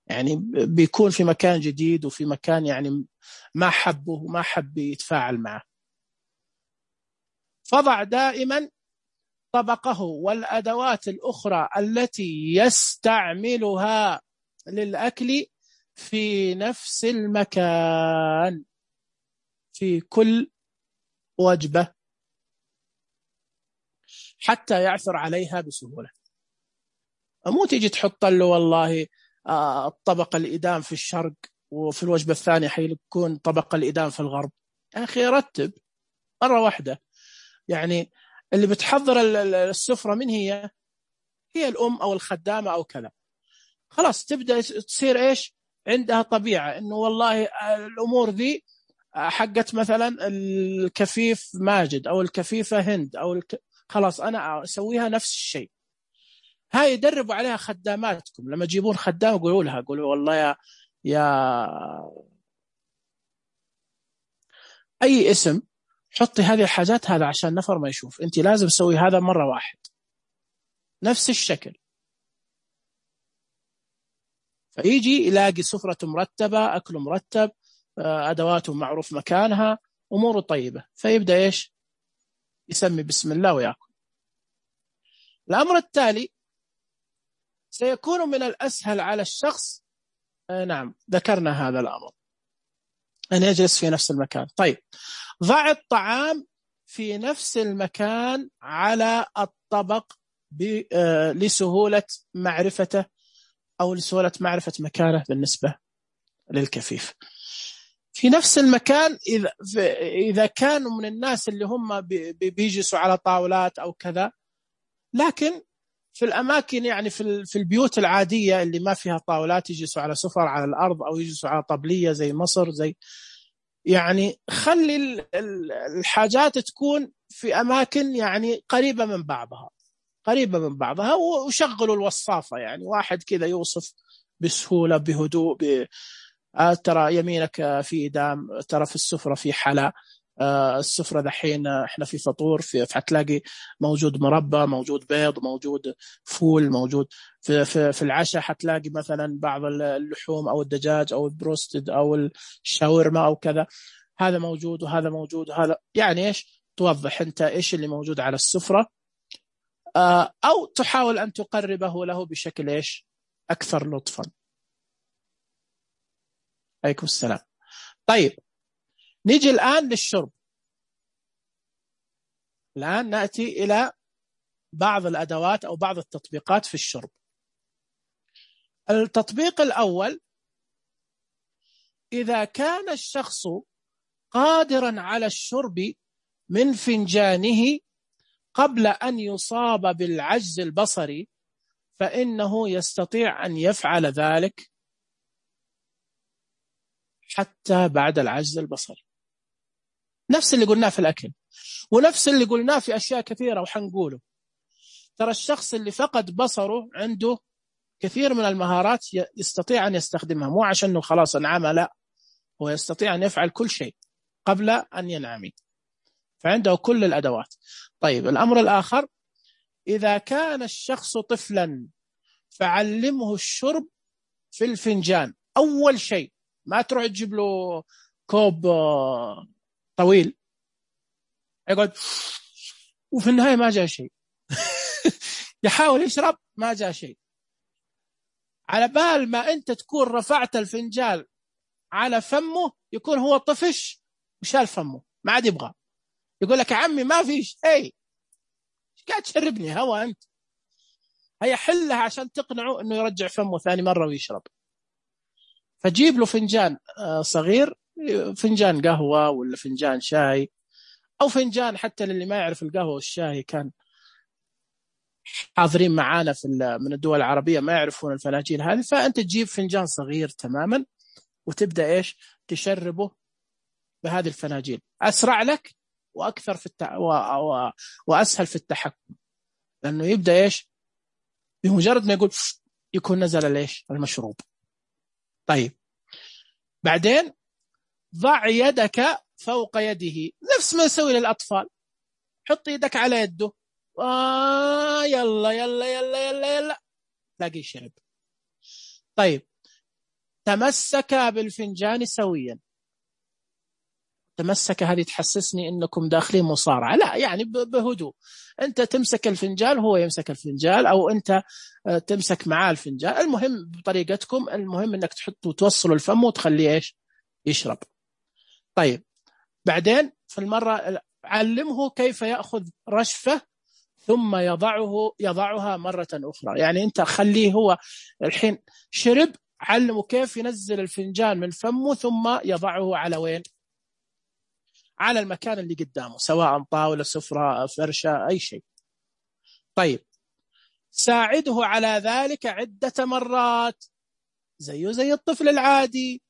يعني بيكون في مكان جديد وفي مكان يعني ما حبه وما حب يتفاعل معه. فضع دائما طبقه والأدوات الأخرى التي يستعملها للأكل في نفس المكان في كل وجبة، حتى يعثر عليها بسهولة. مو تيجي تحط له والله الطبق الإدام في الشرق وفي الوجبة الثانية حيكون طبق الإدام في الغرب. يا أخي رتب مرة واحدة. يعني اللي بتحضر السفرة من هي هي الأم أو الخدامة أو كذا، خلاص تبدأ تصير إيش عندها طبيعة إنه والله الأمور ذي حقت مثلا الكفيف ماجد أو الكفيفة هند أو الك... خلاص أنا أسويها نفس الشيء. هاي يدربوا عليها خداماتكم، لما تجيبون خدام قولوا لها، قولوا والله يا يا أي اسم، حطي هذه الحاجات، هذا عشان نفر ما يشوف، أنت لازم تسوي هذا مرة واحد نفس الشكل. فيجي يلاقي سفرة مرتبة، أكل مرتب، أدواته معروف مكانها، أموره طيبة، فيبدأ إيش يسمي بسم الله ويأكل. الأمر التالي: سيكون من الأسهل على الشخص، نعم ذكرنا هذا الأمر، أن يجلس في نفس المكان. طيب، ضع الطعام في نفس المكان على الطبق لسهولة معرفته أو لسهولة معرفة مكانه بالنسبة للكفيف. في نفس المكان إذا, إذا كانوا من الناس اللي هم بيجلسوا على طاولات أو كذا، لكن في الأماكن يعني في في البيوت العادية اللي ما فيها طاولات يجلسوا على سفر على الأرض أو يجلسوا على طبلية زي مصر، زي يعني خلي الحاجات تكون في أماكن يعني قريبة من بعضها قريبة من بعضها وشغلوا الوصافة، يعني واحد كذا يوصف بسهولة بهدوء ب... ترى يمينك في إدام، ترى في السفرة في حلا، السفرة دحين احنا في فطور، في حتلاقي موجود مربى، موجود بيض، موجود فول، موجود في, في, في العشاء حتلاقي مثلا بعض اللحوم أو الدجاج أو البروستد أو الشاورما أو كذا، هذا موجود وهذا موجود وهذا، يعني إيش توضح أنت إيش اللي موجود على السفرة، أو تحاول أن تقربه له بشكل إيش أكثر لطفا. عليكم السلام. طيب، نيجي الآن للشرب. الآن نأتي إلى بعض الأدوات أو بعض التطبيقات في الشرب. التطبيق الأول: إذا كان الشخص قادرا على الشرب من فنجانه قبل أن يصاب بالعجز البصري، فإنه يستطيع أن يفعل ذلك حتى بعد العجز البصري. نفس اللي قلناه في الأكل، ونفس اللي قلناه في أشياء كثيرة وحنقوله. ترى الشخص اللي فقد بصره عنده كثير من المهارات يستطيع أن يستخدمها، مو عشانه خلاص انعم، لا، هو يستطيع أن يفعل كل شيء قبل أن ينعم، فعنده كل الأدوات. طيب، الأمر الآخر: إذا كان الشخص طفلا فعلمه الشرب في الفنجان. أول شيء، ما تروح تجيب له كوب طويل يقعد وفي النهاية ما جاء شيء. يحاول يشرب ما جاء شيء. على بال ما أنت تكون رفعت الفنجان على فمه يكون هو طفش وشال فمه ما عاد يبغى. يقول لك يا عمي ما فيش اي قاعد تشربني هوا أنت. هي حلها عشان تقنعه أنه يرجع فمه ثاني مرة ويشرب. فجيب له فنجان صغير، فنجان قهوة ولا فنجان شاي أو فنجان، حتى للي ما يعرف القهوة والشاي كان حاضرين معانا في من الدول العربية ما يعرفون الفناجين هذه، فأنت تجيب فنجان صغير تماما وتبدأ إيش تشربه بهذه الفناجين. أسرع لك وأكثر في التع... و... و... وأسهل في التحكم، لأنه يبدأ إيش بمجرد ما يقول يكون نزل ليش المشروب. طيب بعدين ضع يدك فوق يده نفس ما يسوي للأطفال، حط يدك على يده آه يلا يلا يلا يلا يلا تلاقي شرب. طيب تمسك بالفنجان سويا. تمسك هذه تحسسني انكم داخلين مصارعة، لا يعني بهدوء. انت تمسك الفنجان هو يمسك الفنجان، او انت تمسك معاه الفنجان، المهم بطريقتكم، المهم انك تحطوا توصلوا الفم وتخليه ايش يشرب. طيب بعدين في المرة علمه كيف يأخذ رشفة ثم يضعه يضعها مرة أخرى. يعني أنت خليه هو الحين شرب، علمه كيف ينزل الفنجان من فمه ثم يضعه على وين؟ على المكان اللي قدامه، سواء طاولة سفرة فرشة أي شيء. طيب ساعده على ذلك عدة مرات زيه زي الطفل العادي.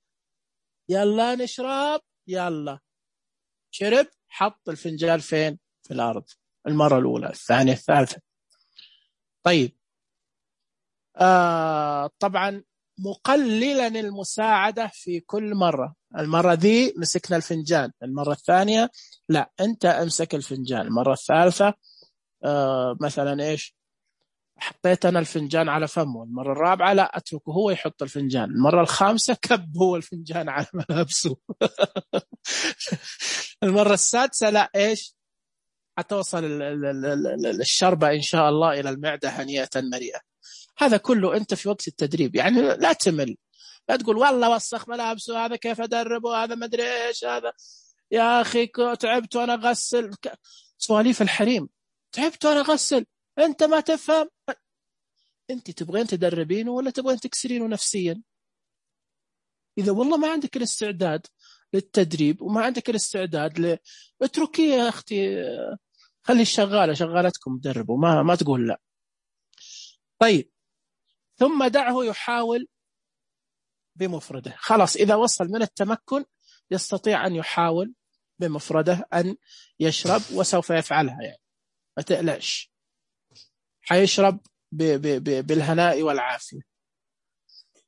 يلا نشرب، يلا شرب، حط الفنجان فين؟ في الأرض. المرة الأولى، الثانية، الثالثة. طيب آه طبعا مقللا المساعدة في كل مرة. المرة ذي مسكنا الفنجان، المرة الثانية لا أنت امسك الفنجان، المرة الثالثة آه مثلا إيش حطيت أنا الفنجان على فمه، المرة الرابعة لا أتركه هو يحط الفنجان، المرة الخامسة كب هو الفنجان على ملابسه. المرة السادسة لا إيش حتوصل الشربة إن شاء الله إلى المعدة هنيئة مريئة. هذا كله أنت في وقت التدريب، يعني لا تمل، لا تقول والله وسخ ملابسه هذا كيف أدربه هذا ما أدري إيش هذا يا أخي تعبت وأنا أغسل. سواليف الحريم، تعبت وأنا أغسل، أنت ما تفهم. أنت تبغين تدربينه ولا تبغين تكسرينه نفسيا؟ إذا والله ما عندك الاستعداد للتدريب وما عندك الاستعداد ل... اتركيه يا أختي، خلي الشغالة شغالتكم تدربوا، ما ما تقول لا. طيب ثم دعه يحاول بمفرده. خلاص إذا وصل من التمكن يستطيع أن يحاول بمفرده أن يشرب، وسوف يفعلها، يعني ما تقلقش، حيشرب ب... ب... ب... بالهناء والعافية.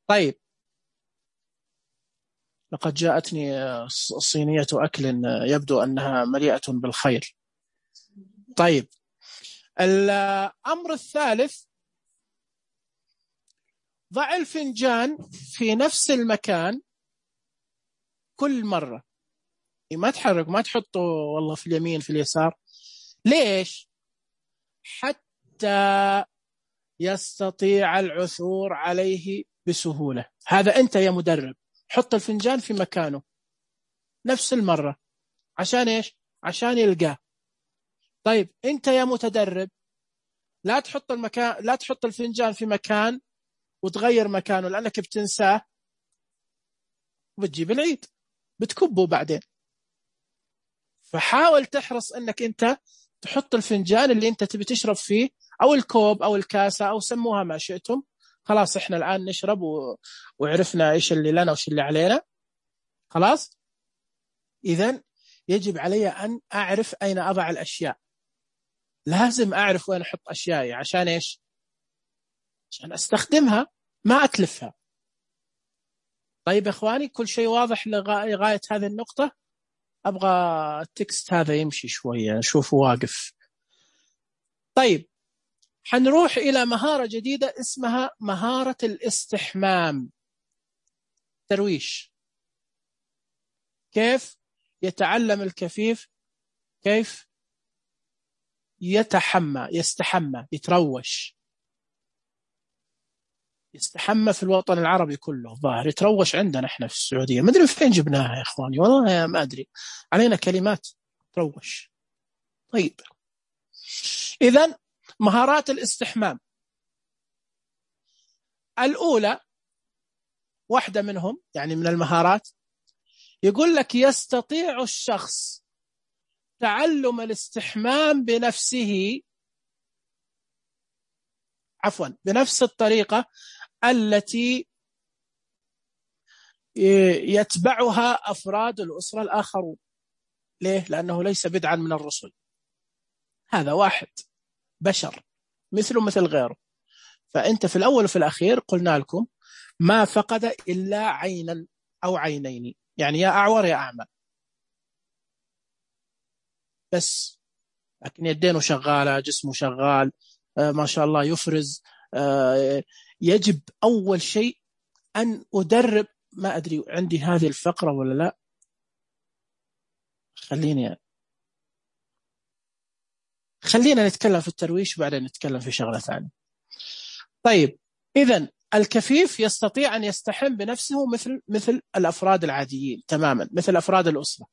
طيب لقد جاءتني صينية أكل يبدو أنها مليئة بالخير. طيب الأمر الثالث، ضع الفنجان في نفس المكان كل مرة، ما تحرك، ما تحطه والله في اليمين في اليسار. ليش؟ حتى يستطيع العثور عليه بسهولة. هذا أنت يا مدرب، حط الفنجان في مكانه نفس المرة. عشان إيش؟ عشان يلقاه. طيب أنت يا متدرب لا تحط المكان، لا تحط الفنجان في مكان وتغير مكانه لأنك بتنساه وبتجيب العيد بتكبه بعدين. فحاول تحرص أنك أنت تحط الفنجان اللي أنت تبي تشرب فيه، أو الكوب أو الكاسة أو سموها ما شئتم. خلاص إحنا الآن نشرب و... وعرفنا إيش اللي لنا وإيش اللي علينا. خلاص إذن يجب علي أن أعرف أين أضع الأشياء، لازم أعرف وين أحط أشيائي. عشان إيش؟ عشان أستخدمها ما أتلفها. طيب إخواني كل شيء واضح لغاية هذه النقطة؟ أبغى التكست هذا يمشي شوية نشوفه واقف. طيب حنروح إلى مهارة جديدة اسمها مهارة الاستحمام. ترويش. كيف؟ يتعلم الكفيف كيف يتحمى يستحمى يتروش. يستحمى في الوطن العربي كله ظاهر، يتروش عندنا احنا في السعودية، ما ادري فين جبناها يا اخواني، والله ما ادري، علينا كلمات تروش. طيب اذن مهارات الاستحمام الأولى، واحدة منهم يعني من المهارات، يقول لك يستطيع الشخص تعلم الاستحمام بنفسه، عفوا بنفس الطريقة التي يتبعها أفراد الأسرة الآخرون. ليه؟ لأنه ليس بدعا من الرسل، هذا واحد بشر مثله مثل غيره. فأنت في الأول وفي الأخير قلنا لكم ما فقد إلا عينا أو عينين، يعني يا أعور يا أعمى بس، لكن يدينه شغالة، جسمه شغال، آه ما شاء الله يفرز. آه يجب أول شيء أن أدرب، ما أدري عندي هذه الفقرة ولا لا، خليني خلينا نتكلم في الترويش وبعدين نتكلم في شغلة ثانية. طيب إذن الكفيف يستطيع أن يستحم بنفسه مثل مثل الأفراد العاديين تماما، مثل أفراد الأسرة،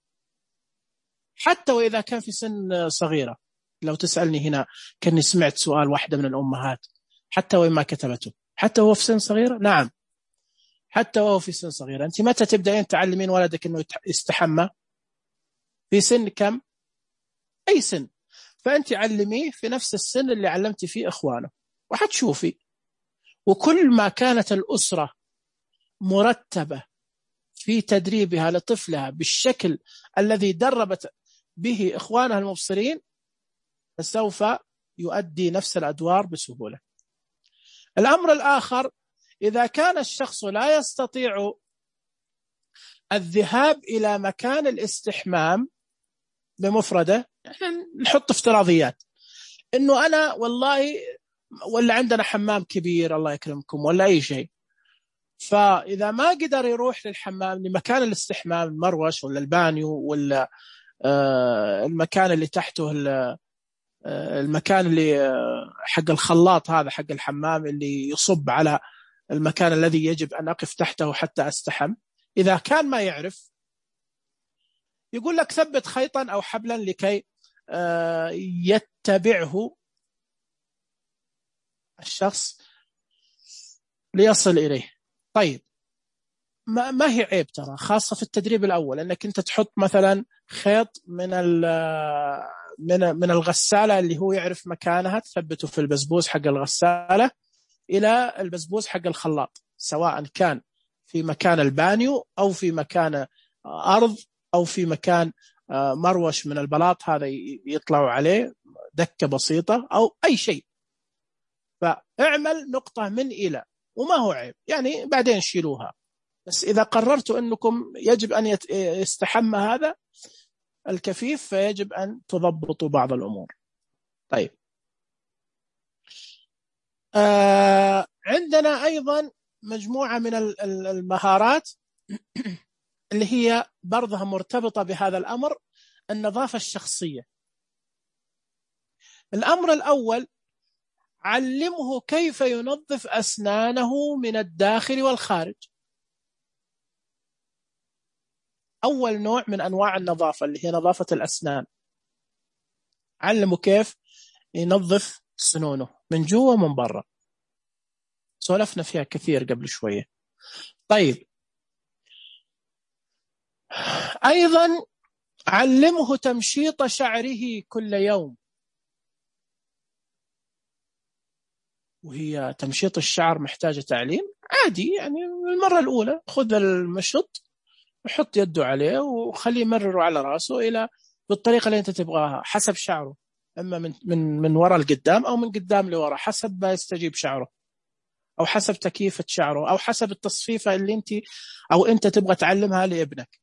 حتى وإذا كان في سن صغيرة. لو تسألني هنا كأني سمعت سؤال واحدة من الأمهات، حتى وإن ما كتبته، حتى وهو في سن صغيرة؟ نعم حتى وهو في سن صغيرة. أنت متى تبدأين تعلمين ولدك أنه يستحمى؟ في سن كم؟ أي سن. فأنت علميه في نفس السن اللي علمت فيه إخوانه وحتشوفي. وكل ما كانت الأسرة مرتبة في تدريبها لطفلها بالشكل الذي دربت به إخوانها المبصرين، فسوف يؤدي نفس الأدوار بسهولة. الأمر الآخر، إذا كان الشخص لا يستطيع الذهاب إلى مكان الاستحمام بمفرده، نحط افتراضيات إنه أنا والله ولا عندنا حمام كبير الله يكرمكم ولا أي شيء، فإذا ما قدر يروح للحمام لمكان الاستحمام المروش ولا البانيو ولا آه المكان اللي تحته آه المكان اللي آه حق الخلاط هذا حق الحمام اللي يصب على المكان الذي يجب أن أقف تحته حتى أستحم، إذا كان ما يعرف يقول لك ثبت خيطا أو حبلا لكي آه يتبعه الشخص ليصل إليه. طيب ما, ما هي عيب ترى، خاصة في التدريب الأول، أنك أنت تحط مثلا خيط من من من الغسالة اللي هو يعرف مكانها، تثبته في البسبوس حق الغسالة إلى البسبوس حق الخلاط، سواء كان في مكان البانيو أو في مكان أرض أو في مكان مروش من البلاط هذا يطلعوا عليه دكة بسيطة أو أي شيء. فاعمل نقطة من إلى، وما هو عيب يعني بعدين شيلوها، بس إذا قررتوا أنكم يجب أن يستحمى هذا الكفيف فيجب أن تضبطوا بعض الأمور. طيب آه عندنا أيضا مجموعة من المهارات اللي هي برضها مرتبطة بهذا الأمر، النظافة الشخصية. الأمر الأول، علمه كيف ينظف أسنانه من الداخل والخارج. أول نوع من أنواع النظافة اللي هي نظافة الأسنان، علمه كيف ينظف سنونه من جوا ومن برا، سولفنا فيها كثير قبل شوية. طيب أيضا علمه تمشيط شعره كل يوم، وهي تمشيط الشعر محتاجة تعليم عادي، يعني المرة الأولى خذ المشط وحط يده عليه وخليه يمرره على رأسه إلى بالطريقة اللي أنت تبغاها حسب شعره، إما من من من وراء القدام أو من قدام لوراء حسب ما يستجيب شعره، أو حسب تكييفة شعره، أو حسب التصفيفة اللي أنت أو أنت تبغى تعلمها لابنك.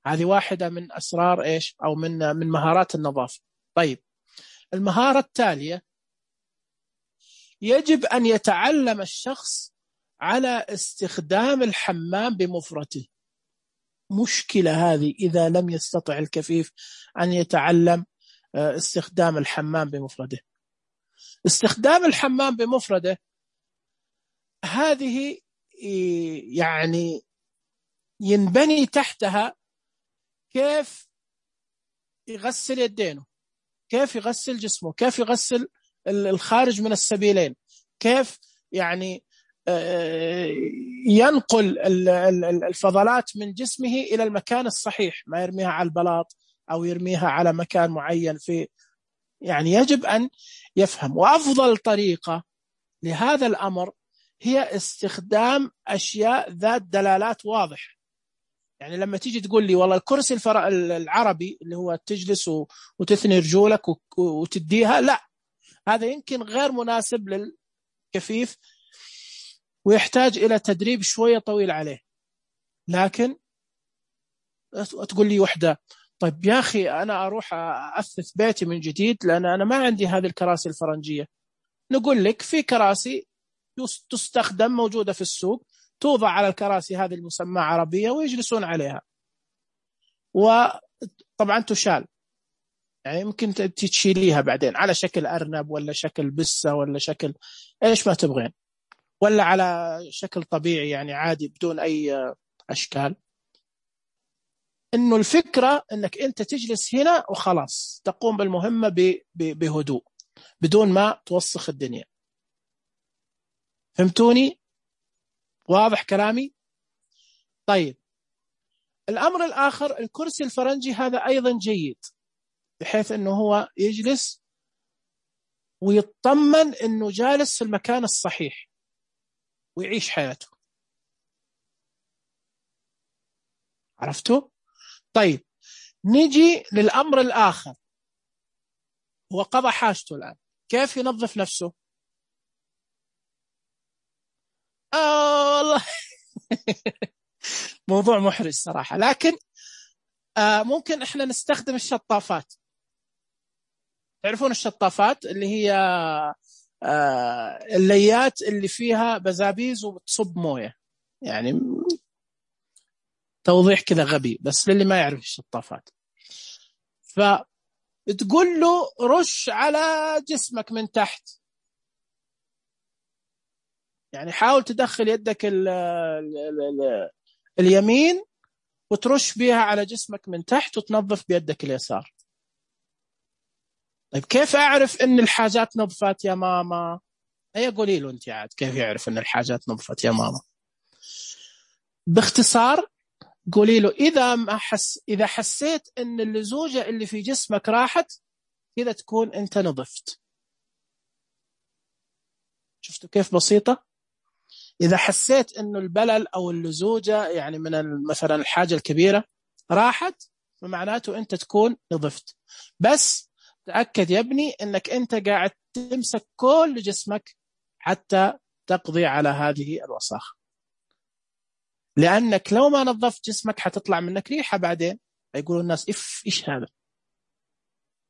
هذه واحدة من أسرار إيش أو من من مهارات النظافة. طيب المهارة التالية، يجب أن يتعلم الشخص على استخدام الحمام بمفرده. مشكلة هذه إذا لم يستطع الكفيف أن يتعلم استخدام الحمام بمفرده. استخدام الحمام بمفرده هذه يعني ينبني تحتها كيف يغسل يدينه، كيف يغسل جسمه، كيف يغسل الخارج من السبيلين، كيف يعني ينقل الفضلات من جسمه إلى المكان الصحيح، ما يرميها على البلاط أو يرميها على مكان معين. في يعني يجب أن يفهم. وأفضل طريقة لهذا الأمر هي استخدام أشياء ذات دلالات واضحة. يعني لما تيجي تقول لي والله الكرسي الفر... العربي اللي هو تجلس وتثني رجولك وتديها، لا، هذا يمكن غير مناسب للكفيف ويحتاج إلى تدريب شوية طويل عليه. لكن تقول لي وحدة، طيب يا أخي أنا أروح أثث بيتي من جديد لأن أنا ما عندي هذه الكراسي الفرنجية. نقول لك في كراسي تستخدم موجودة في السوق، توضع على الكراسي هذه المسمى عربية ويجلسون عليها، وطبعا تشال، يعني يمكن تشيليها بعدين على شكل أرنب ولا شكل بسة ولا شكل إيش ما تبغين، ولا على شكل طبيعي يعني عادي بدون أي أشكال. إنه الفكرة إنك أنت تجلس هنا وخلاص تقوم بالمهمة بهدوء بدون ما توسخ الدنيا. فهمتوني؟ واضح كلامي؟ طيب، الأمر الآخر الكرسي الفرنجي هذا أيضا جيد، بحيث أنه هو يجلس ويطمن أنه جالس في المكان الصحيح ويعيش حياته. عرفتوا؟ طيب، نجي للأمر الآخر، هو قضى حاجته الآن، كيف ينظف نفسه؟ آه والله موضوع محرج صراحة، لكن آه ممكن إحنا نستخدم الشطافات. تعرفون الشطافات اللي هي آه الليات اللي فيها بزابيز وبتصب موية، يعني توضيح كذا غبي بس للي ما يعرف الشطافات. فتقول له رش على جسمك من تحت، يعني حاول تدخل يدك ال ال ال اليمين وترش بيها على جسمك من تحت وتنظف بيدك اليسار. طيب كيف أعرف إن الحاجات نظفت يا ماما؟ هي قولي له أنت عاد كيف يعرف إن الحاجات نظفت يا ماما؟ باختصار قولي له إذا ما حس إذا حسيت إن اللزوجة اللي في جسمك راحت كذا تكون أنت نظفت. شفتوا كيف بسيطة؟ إذا حسيت إنه البلل أو اللزوجة يعني من مثلا الحاجة الكبيرة راحت فمعناته أنت تكون نظفت. بس تأكد يا ابني إنك أنت قاعد تمسك كل جسمك حتى تقضي على هذه الوساخة، لأنك لو ما نظفت جسمك حتطلع منك ريحة بعدين يقولوا الناس إف إيش هذا.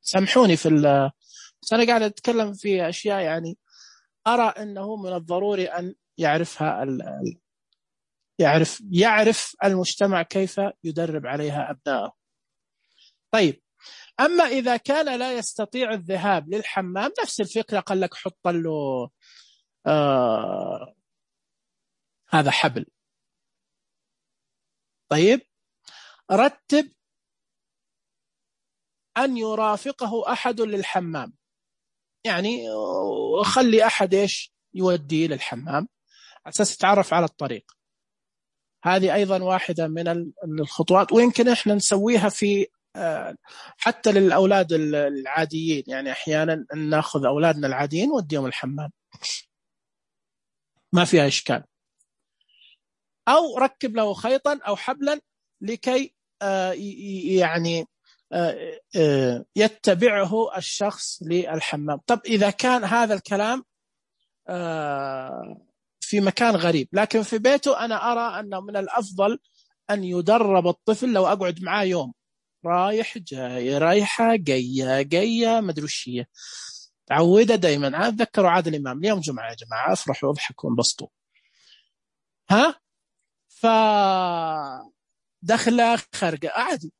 سامحوني في ال أنا قاعد أتكلم في أشياء يعني أرى أنه من الضروري أن يعرفها ال... يعرف يعرف المجتمع كيف يدرب عليها أبنائه. طيب، أما إذا كان لا يستطيع الذهاب للحمام نفس الفكرة، قال لك حط له آه... هذا حبل. طيب، رتب أن يرافقه أحد للحمام، يعني خلي أحد إيش يوديه للحمام على أساس يتعرف على الطريق. هذه أيضا واحدة من الخطوات، ويمكن إحنا نسويها في حتى للأولاد العاديين، يعني أحيانا نأخذ أولادنا العاديين وديهم الحمام ما فيها إشكال. أو ركب له خيطا أو حبلا لكي يعني يتبعه الشخص للحمام. طب إذا كان هذا الكلام في مكان غريب لكن في بيته، أنا أرى أنه من الأفضل أن يدرب الطفل. لو أقعد معاه يوم رايح جاي رايحة جاية جاية مدروشية، تعودة دايما. أتذكروا عادل الإمام اليوم جمعة يا جماعة، أفرحوا واضحكوا وانبسطوا. ها ف دخلة خارجة عادي،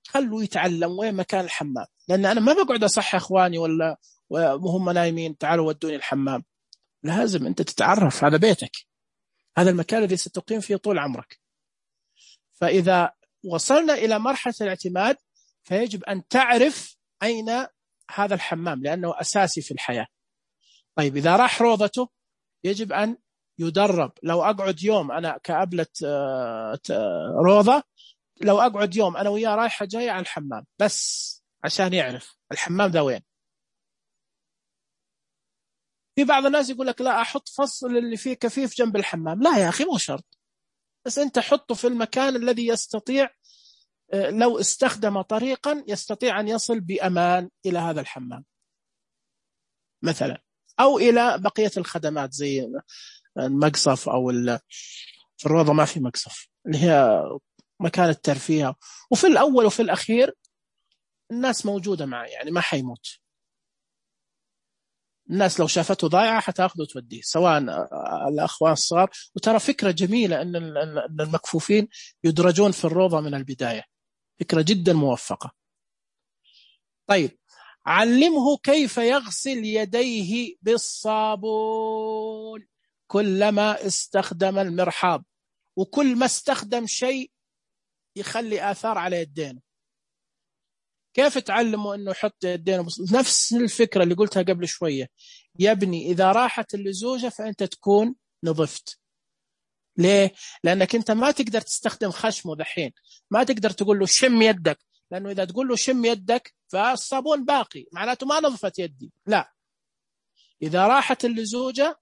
خلوا يتعلم وين مكان الحمام، لأن أنا ما بقعد أصحي إخواني ولا وهم نايمين تعالوا ودوني الحمام. لازم أنت تتعرف، هذا بيتك، هذا المكان الذي ستقيم فيه طول عمرك. فإذا وصلنا إلى مرحلة الاعتماد فيجب أن تعرف أين هذا الحمام لأنه أساسي في الحياة. طيب إذا راح روضته يجب أن يدرب. لو أقعد يوم أنا كأبلة روضة، لو أقعد يوم أنا وياه رايحة جاية على الحمام بس عشان يعرف الحمام ذا وين. في بعض الناس يقول لك لا أحط فصل اللي فيه كفيف جنب الحمام. لا يا أخي مو شرط، بس أنت حطه في المكان الذي يستطيع لو استخدم طريقا يستطيع أن يصل بأمان إلى هذا الحمام مثلا، أو إلى بقية الخدمات زي المقصف، أو في الروضة ما في مقصف اللي هي مكان الترفيه. وفي الأول وفي الأخير الناس موجودة معه، يعني ما حيموت. الناس لو شافته ضايعة حتاخذه وتوديه، سواء الأخوان الصغار. وترى فكرة جميلة أن المكفوفين يدرجون في الروضة من البداية، فكرة جدا موفقة. طيب علمه كيف يغسل يديه بالصابون كلما استخدم المرحاض، وكل ما استخدم شيء يخلي آثار على يدينه. كيف تعلمه أنه يحط يدينه؟ نفس الفكرة اللي قلتها قبل شوية يا ابني، إذا راحت اللزوجة فأنت تكون نظفت. ليه؟ لأنك أنت ما تقدر تستخدم خشمه دحين، ما تقدر تقول له شم يدك، لأنه إذا تقول له شم يدك فالصابون باقي، معناته ما نظفت يدي. لا، إذا راحت اللزوجة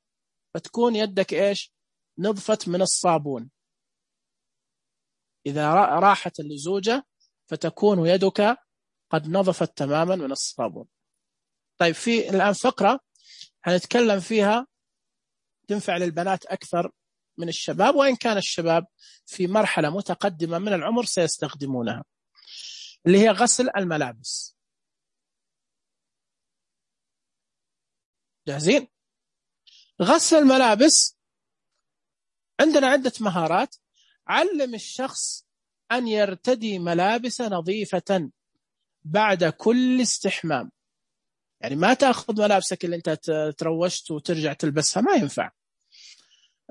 فتكون يدك إيش؟ نظفت من الصابون. إذا راحت اللزوجة فتكون يدك قد نظفت تماما من الصابون. طيب في الآن فقرة هنتكلم فيها تنفع للبنات أكثر من الشباب، وإن كان الشباب في مرحلة متقدمة من العمر سيستخدمونها، اللي هي غسل الملابس. جاهزين؟ غسل الملابس عندنا عدة مهارات. علم الشخص أن يرتدي ملابس نظيفة بعد كل استحمام. يعني ما تأخذ ملابسك اللي أنت تروشت وترجع تلبسها، ما ينفع.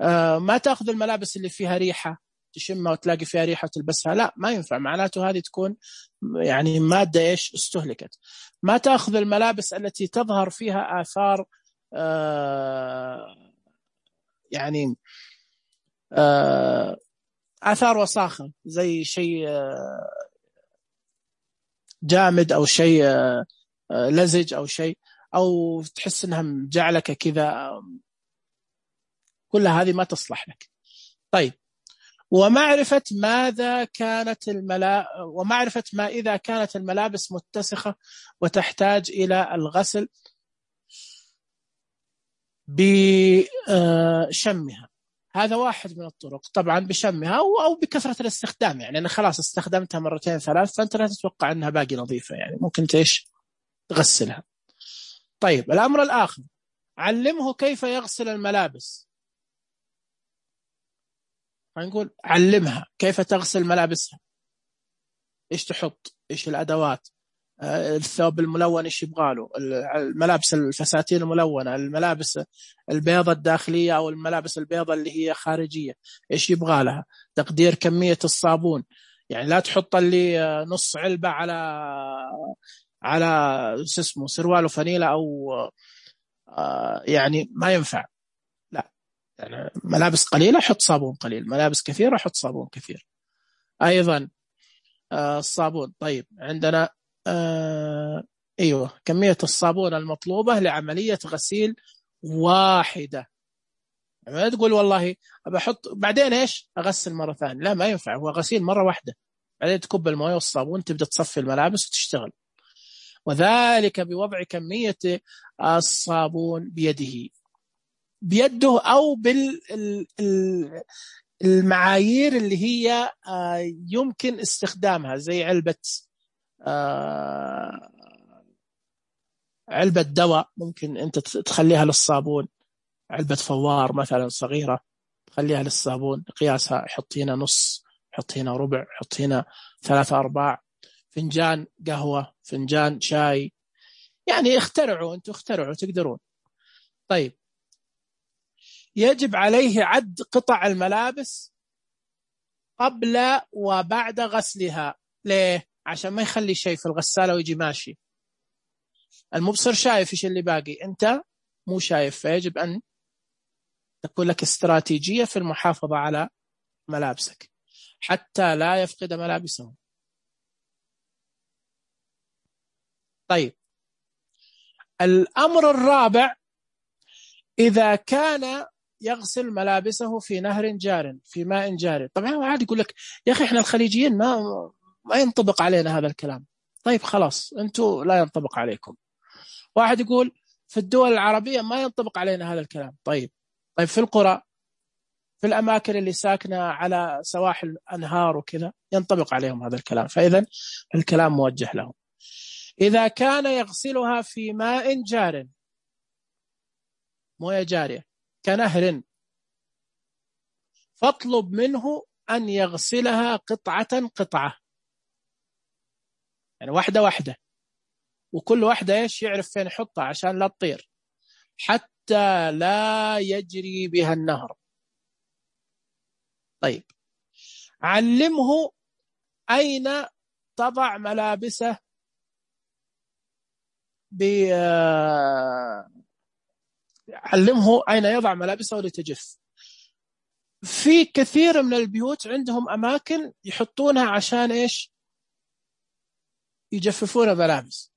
آه ما تأخذ الملابس اللي فيها ريحة تشمها وتلاقي فيها ريحة وتلبسها، لا ما ينفع، معناته هذه تكون يعني مادة إيش استهلكت. ما تأخذ الملابس التي تظهر فيها آثار آه يعني آه آثار وساخة، زي شيء آه جامد أو شيء آه لزج أو شيء، أو تحس أنها مجعلك كذا، كل هذه ما تصلح لك. طيب ومعرفة ماذا كانت الملا ومعرفة ما إذا كانت الملابس متسخة وتحتاج إلى الغسل بشمها، هذا واحد من الطرق. طبعا بشمها أو بكثرة الاستخدام، يعني أنا خلاص استخدمتها مرتين ثلاث فأنت لا تتوقع أنها باقي نظيفة، يعني ممكن تيش تغسلها. طيب الأمر الآخر، علمه كيف يغسل الملابس. هنقول علمها كيف تغسل ملابسها، إيش تحط، إيش الأدوات، الثوب الملون إيش يبغاله، الملابس الفساتين الملونة، الملابس البيضة الداخلية أو الملابس البيضة اللي هي خارجية إيش يبغى لها، تقدير كمية الصابون. يعني لا تحط اللي نص علبة على على اسمه سروال وفانيلة أو يعني ما ينفع. لا، يعني ملابس قليلة حط صابون قليل، ملابس كثيرة حط صابون كثير. أيضا الصابون. طيب عندنا آه أيوة كمية الصابون المطلوبة لعملية غسيل واحدة. ما تقول والله بحط بعدين إيش أغسل مرة ثانية، لا ما ينفع، هو غسيل مرة واحدة، بعدين تكب المويه والصابون تبدأ تصفي الملابس وتشتغل. وذلك بوضع كمية الصابون بيده بيده أو بالمعايير اللي هي يمكن استخدامها، زي علبة علبة دواء ممكن أنت تخليها للصابون، علبة فوار مثلا صغيرة تخليها للصابون، قياسها حطينا نص حط هنا ربع، حط هنا ثلاثة أرباع، فنجان قهوة، فنجان شاي، يعني اخترعوا، أنتوا اخترعوا تقدرون. طيب يجب عليه عد قطع الملابس قبل وبعد غسلها. ليه؟ عشان ما يخلي شيء في الغسالة ويجي ماشي، المبصر شايف إيش اللي باقي، أنت مو شايف، فيجب أن تكون لك استراتيجية في المحافظة على ملابسك حتى لا يفقد ملابسه. طيب الأمر الرابع، إذا كان يغسل ملابسه في نهر جار، في ماء جار. طبعا واحد يقول لك يا أخي إحنا الخليجيين ما ما ينطبق علينا هذا الكلام. طيب خلاص أنتوا لا ينطبق عليكم. واحد يقول في الدول العربية ما ينطبق علينا هذا الكلام. طيب طيب في القرى، في الأماكن اللي ساكنة على سواحل أنهار وكذا ينطبق عليهم هذا الكلام. فإذا الكلام موجه لهم. إذا كان يغسلها في ماء جار، موية جارية كنهر، فاطلب منه أن يغسلها قطعة قطعة، يعني واحدة واحدة، وكل واحدة إيش يعرف فين يحطها عشان لا تطير، حتى لا يجري بها النهر. طيب علمه أين تضع ملابسه ب علمه أين يضع ملابسه لتجف. في كثير من البيوت عندهم أماكن يحطونها عشان إيش يجففون ملابس.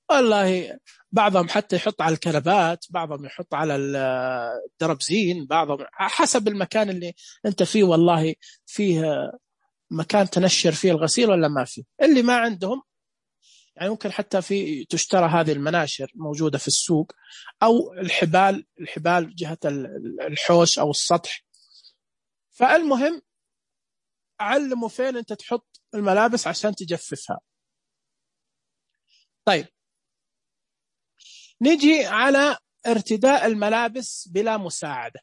والله بعضهم حتى يحط على الكنبات، بعضهم يحط على الدربزين، بعضهم حسب المكان اللي أنت فيه. والله فيه مكان تنشر فيه الغسيل ولا ما فيه. اللي ما عندهم يعني ممكن حتى في تشترى هذه المناشر موجودة في السوق، أو الحبال الحبال جهة الحوش أو السطح. فالمهم علموا فين أنت تحط الملابس عشان تجففها. طيب نجي على ارتداء الملابس بلا مساعدة.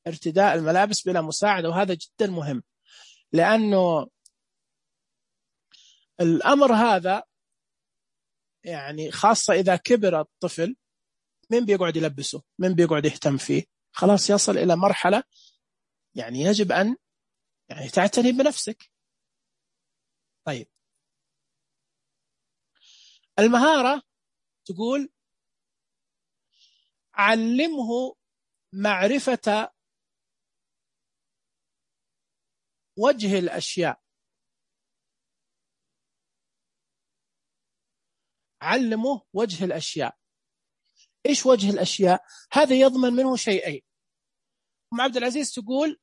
ارتداء الملابس بلا مساعدة، وهذا جدا مهم، لأنه الأمر هذا يعني خاصة إذا كبر الطفل، من بيقعد يلبسه، من بيقعد يهتم فيه، خلاص يصل إلى مرحلة يعني يجب أن يعني تعتني بنفسك. طيب المهارة تقول علمه معرفة وجه الأشياء. علمه وجه الأشياء. إيش وجه الأشياء؟ هذا يضمن منه شيئين. أم عبد العزيز تقول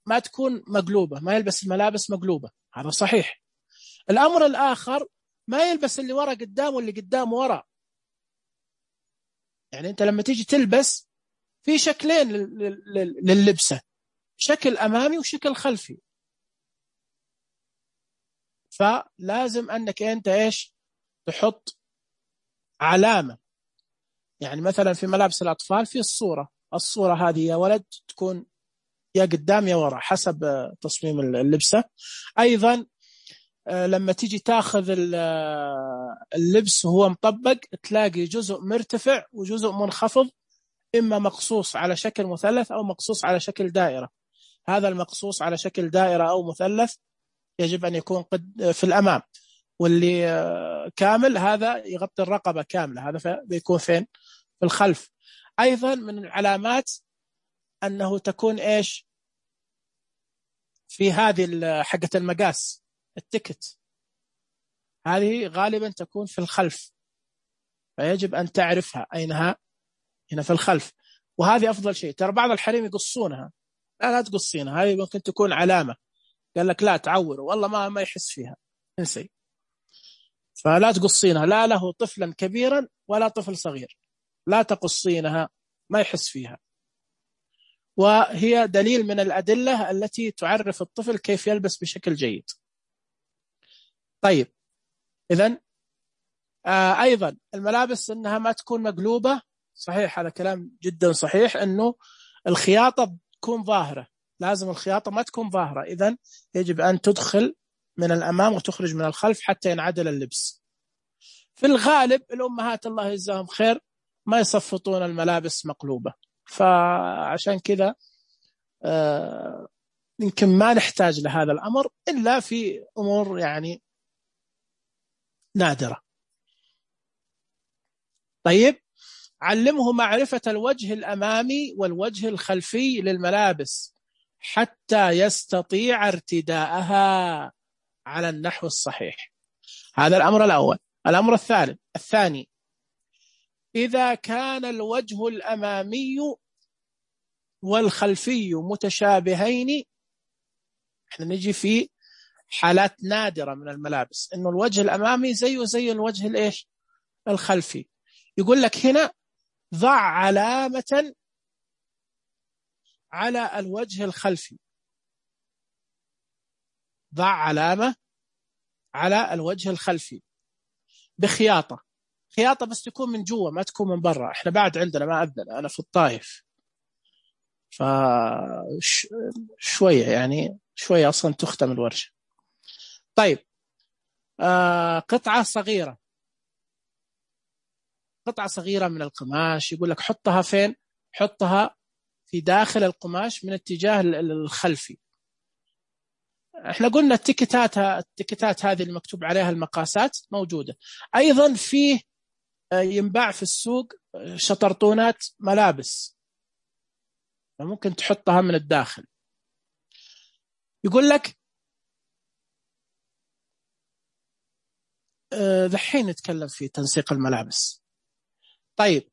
ما تكون مقلوبة، ما يلبس الملابس مقلوبة، هذا صحيح. الأمر الآخر ما يلبس اللي ورا قدام واللي قدام ورا. يعني أنت لما تيجي تلبس في شكلين لللبسة، شكل أمامي وشكل خلفي. فلازم أنك أنت إيش تحط علامة. يعني مثلا في ملابس الأطفال في الصورة، الصورة هذه يا ولد تكون يا قدام يا ورا حسب تصميم اللبسة. أيضا لما تيجي تاخذ اللبس وهو مطبق تلاقي جزء مرتفع وجزء منخفض، إما مقصوص على شكل مثلث أو مقصوص على شكل دائرة. هذا المقصوص على شكل دائرة أو مثلث يجب أن يكون قد في الأمام، واللي كامل هذا يغطي الرقبة كاملة، هذا بيكون فين؟ في الخلف. أيضا من العلامات أنه تكون إيش في هذه حقة المقاس، التكت هذه غالبا تكون في الخلف، فيجب أن تعرفها أينها، هنا في الخلف. وهذه أفضل شيء. ترى بعض الحريم يقصونها، لا لا تقصينها، هذه ممكن تكون علامة، قال لك لا تعور والله ما ما يحس فيها، انسي. فلا تقصينها، لا له طفلا كبيرا ولا طفل صغير، لا تقصينها ما يحس فيها. وهي دليل من الأدلة التي تعرف الطفل كيف يلبس بشكل جيد. طيب إذن آه أيضا الملابس أنها ما تكون مقلوبة. صحيح هذا كلام جدا صحيح، أنه الخياطة تكون ظاهرة، لازم الخياطة ما تكون ظاهرة، إذن يجب أن تدخل من الأمام وتخرج من الخلف حتى ينعدل اللبس. في الغالب الأمهات الله يجزاهم خير ما يصفطون الملابس مقلوبة، فعشان كذا آه يمكن ما نحتاج لهذا الأمر إلا في أمور يعني نادرة. طيب، علمه معرفة الوجه الأمامي والوجه الخلفي للملابس حتى يستطيع ارتداءها على النحو الصحيح. هذا الأمر الأول. الأمر الثالث الثاني، إذا كان الوجه الأمامي والخلفي متشابهين، احنا نجي في حالات نادرة من الملابس إنه الوجه الأمامي زيه زي الوجه الإيش الخلفي، يقول لك هنا ضع علامة على الوجه الخلفي، ضع علامة على الوجه الخلفي بخياطة، خياطة بس تكون من جوا ما تكون من برا. احنا بعد عندنا ما أذن، أنا في الطائف فشوية يعني شوية أصلا تختم الورشة. طيب، آه قطعة صغيرة، قطعة صغيرة من القماش، يقول لك حطها فين؟ حطها في داخل القماش من اتجاه الخلفي. احنا قلنا التيكتات التيكتات هذه اللي مكتوب عليها المقاسات موجودة. أيضا فيه ينباع في السوق شطرطونات ملابس، ممكن تحطها من الداخل. يقول لك ذحين نتكلم في تنسيق الملابس. طيب،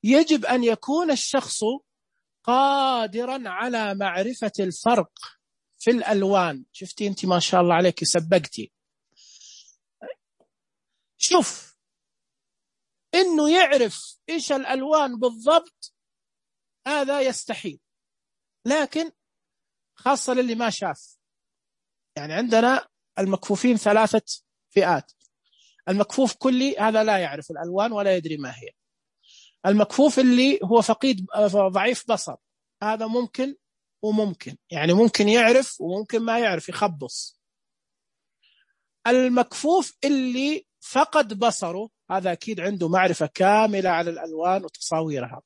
يجب أن يكون الشخص قادرا على معرفة الفرق في الألوان. شفتي أنت ما شاء الله عليك سبقتي. شوف إنه يعرف إيش الألوان بالضبط هذا يستحيل، لكن خاصة للي ما شاف. يعني عندنا المكفوفين ثلاثة فئات. المكفوف كلي هذا لا يعرف الألوان ولا يدري ما هي. المكفوف اللي هو فقيد ضعيف بصر هذا ممكن وممكن، يعني ممكن يعرف وممكن ما يعرف يخبص. المكفوف اللي فقد بصره هذا أكيد عنده معرفة كاملة على الألوان وتصاويرها.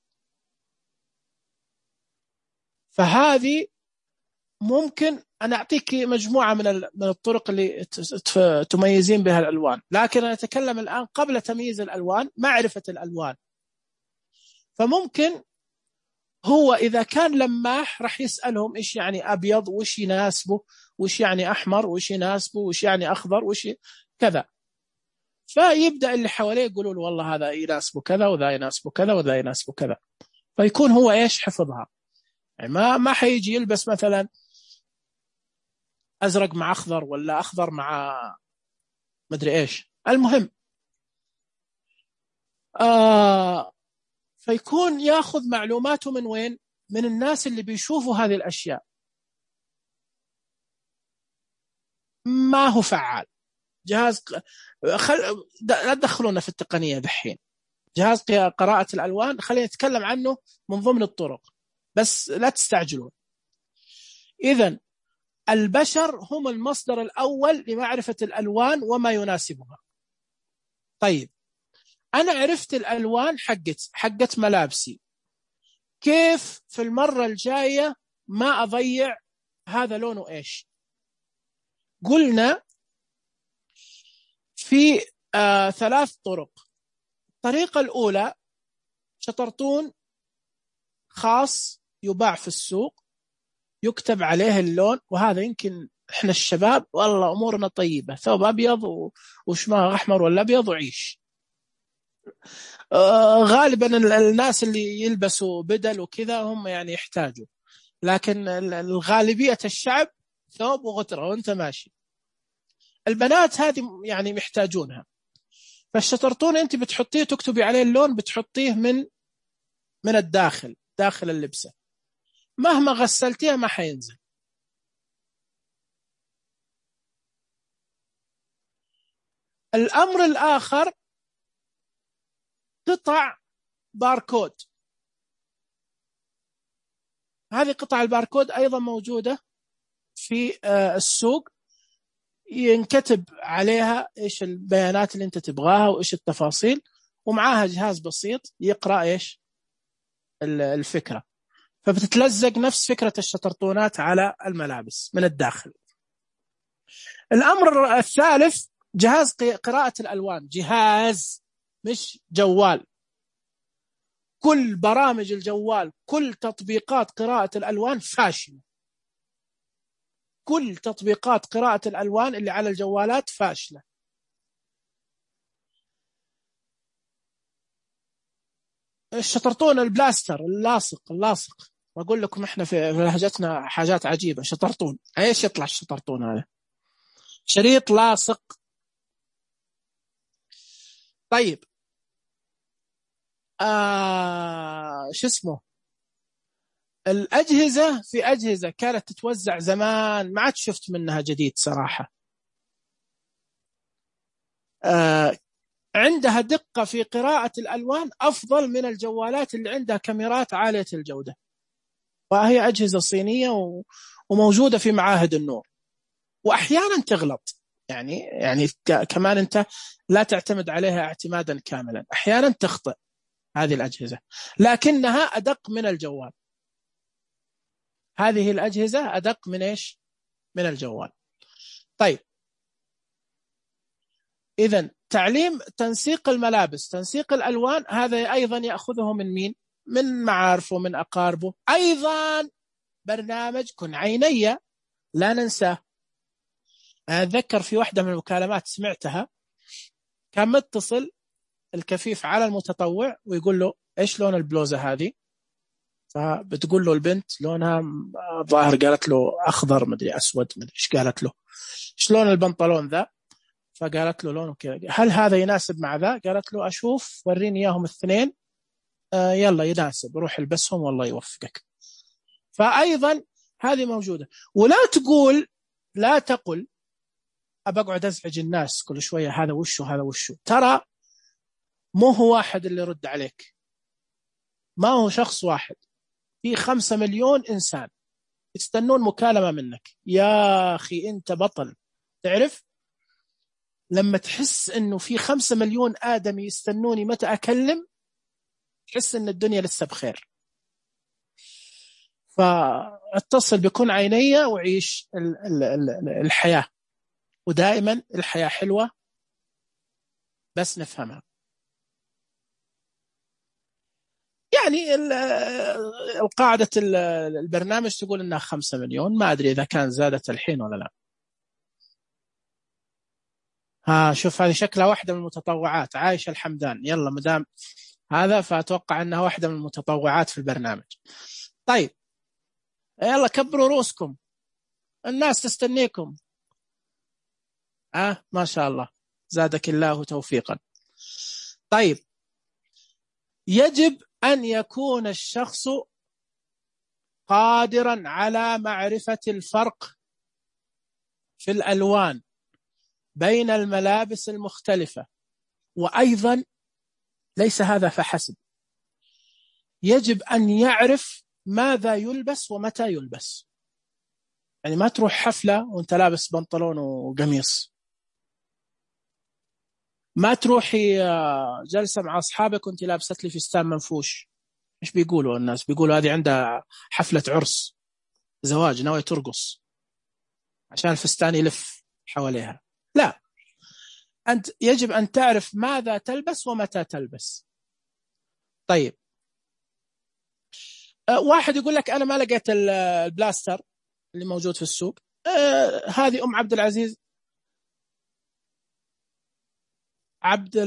فهذه ممكن أنا أعطيك مجموعة من من الطرق اللي تميزين بها الألوان، لكن أنا أتكلم الآن قبل تمييز الألوان، معرفة الألوان. فممكن هو إذا كان لماح راح يسألهم إيش يعني أبيض وإيش يناسبه، وإيش يعني أحمر وإيش يناسبه، وإيش يعني أخضر وإيش كذا. فيبدأ اللي حواليه يقولوا له والله هذا يناسبه كذا وذا يناسبه كذا وذا يناسبه كذا، فيكون هو إيش حفظها. يعني ما ما حيجي يلبس مثلا أزرق مع أخضر ولا أخضر مع مدري إيش. المهم آه فيكون ياخذ معلوماته من وين؟ من الناس اللي بيشوفوا هذه الأشياء. ما هو فعال جهاز خل... لا تدخلونا في التقنية دحين. جهاز قراءة الألوان خلينا نتكلم عنه من ضمن الطرق، بس لا تستعجلون. إذن البشر هم المصدر الأول لمعرفة الألوان وما يناسبها. طيب، أنا عرفت الألوان حقت حقت ملابسي، كيف في المرة الجاية ما أضيع هذا لونه إيش؟ قلنا في آه ثلاث طرق. الطريقة الأولى شطرطون خاص يباع في السوق يكتب عليه اللون، وهذا يمكن إحنا الشباب والله أمورنا طيبة، ثوب أبيض وشماغ أحمر ولا أبيض وعيش. آه غالبا الناس اللي يلبسوا بدل وكذا هم يعني يحتاجوا، لكن الغالبية الشعب ثوب وغترة وانت ماشي. البنات هذه يعني محتاجونها. فالشطرطون انت بتحطيه تكتبي عليه اللون، بتحطيه من من الداخل داخل اللبسة، مهما غسلتيها ما حينزل. الأمر الآخر قطع باركود. هذه قطع الباركود أيضا موجودة في السوق، ينكتب عليها إيش البيانات اللي أنت تبغاها وإيش التفاصيل، ومعاها جهاز بسيط يقرأ إيش الفكرة، فبتتلزق نفس فكرة الشطرطونات على الملابس من الداخل. الأمر الثالث جهاز قراءة الألوان، جهاز مش جوال. كل برامج الجوال، كل تطبيقات قراءة الألوان فاشلة، كل تطبيقات قراءة الألوان اللي على الجوالات فاشلة. الشطرطون البلاستر اللاصق اللاصق وأقول لكم إحنا في لهجتنا حاجات عجيبة، شطرطون إيش يطلع الشطرطون هذا؟ شريط لاصق. طيب آه شو اسمه، الأجهزة، في أجهزة كانت تتوزع زمان ما عاد شفت منها جديد صراحة، آه عندها دقة في قراءة الألوان أفضل من الجوالات اللي عندها كاميرات عالية الجودة، وهي أجهزة صينية وموجودة في معاهد النور، وأحيانا تغلط، يعني يعني كمان أنت لا تعتمد عليها اعتمادا كاملا، أحيانا تخطئ هذه الأجهزة، لكنها أدق من الجوال. هذه الأجهزة أدق من إيش؟ من الجوال. طيب إذن تعليم تنسيق الملابس، تنسيق الألوان، هذا أيضا يأخذه من مين؟ من معارفه، من أقاربه. أيضا برنامج كن عيني لا ننساه. أتذكر في واحدة من المكالمات سمعتها كان متصل الكفيف على المتطوع ويقول له إيش لون البلوزة هذه؟ فبتقول له البنت لونها ظاهر، قالت له أخضر مدري أسود مدري إيش، قالت له إيش لون البنطلون ذا؟ فقالت له لونه كذا. هل هذا يناسب مع ذا؟ قالت له أشوف وريني إياهم الاثنين، آه يلا يناسب، روح البسهم والله يوفقك. فأيضا هذه موجودة. ولا تقول، لا تقل أبقعد أزعج الناس كل شوية هذا وشو هذا وشو، ترى مو هو واحد اللي يرد عليك، ما هو شخص واحد، في خمسة مليون إنسان يستنون مكالمة منك. يا أخي أنت بطل. تعرف لما تحس أنه في خمسة مليون آدم يستنوني متى أكلم، تحس أن الدنيا لسه بخير. فاتصل بكون عيني وعيش الحياة، ودائما الحياة حلوة بس نفهمها. يعني القاعدة البرنامج تقول أنها خمسة مليون، ما أدري إذا كان زادت الحين ولا لا. ها شوف هذه شكلها واحدة من المتطوعات، عايشة الحمدان. يلا مدام هذا فأتوقع أنها واحدة من المتطوعات في البرنامج. طيب يلا كبروا رؤوسكم، الناس تستنيكم. آه ما شاء الله، زادك الله توفيقا. طيب يجب أن يكون الشخص قادرا على معرفة الفرق في الألوان بين الملابس المختلفة، وأيضا ليس هذا فحسب، يجب أن يعرف ماذا يلبس ومتى يلبس. يعني ما تروح حفلة وانت لابس بنطلون وقميص، ما تروحي جلسة مع أصحابك وانت لابست لي فستان منفوش. إيش بيقولوا الناس؟ بيقولوا هذه عندها حفلة عرس زواج ناوية ترقص عشان الفستان يلف حواليها. لا، أنت يجب أن تعرف ماذا تلبس ومتى تلبس. طيب أه واحد يقول لك أنا ما لقيت البلاستر اللي موجود في السوق. أه هذه أم عبد العزيز، عبد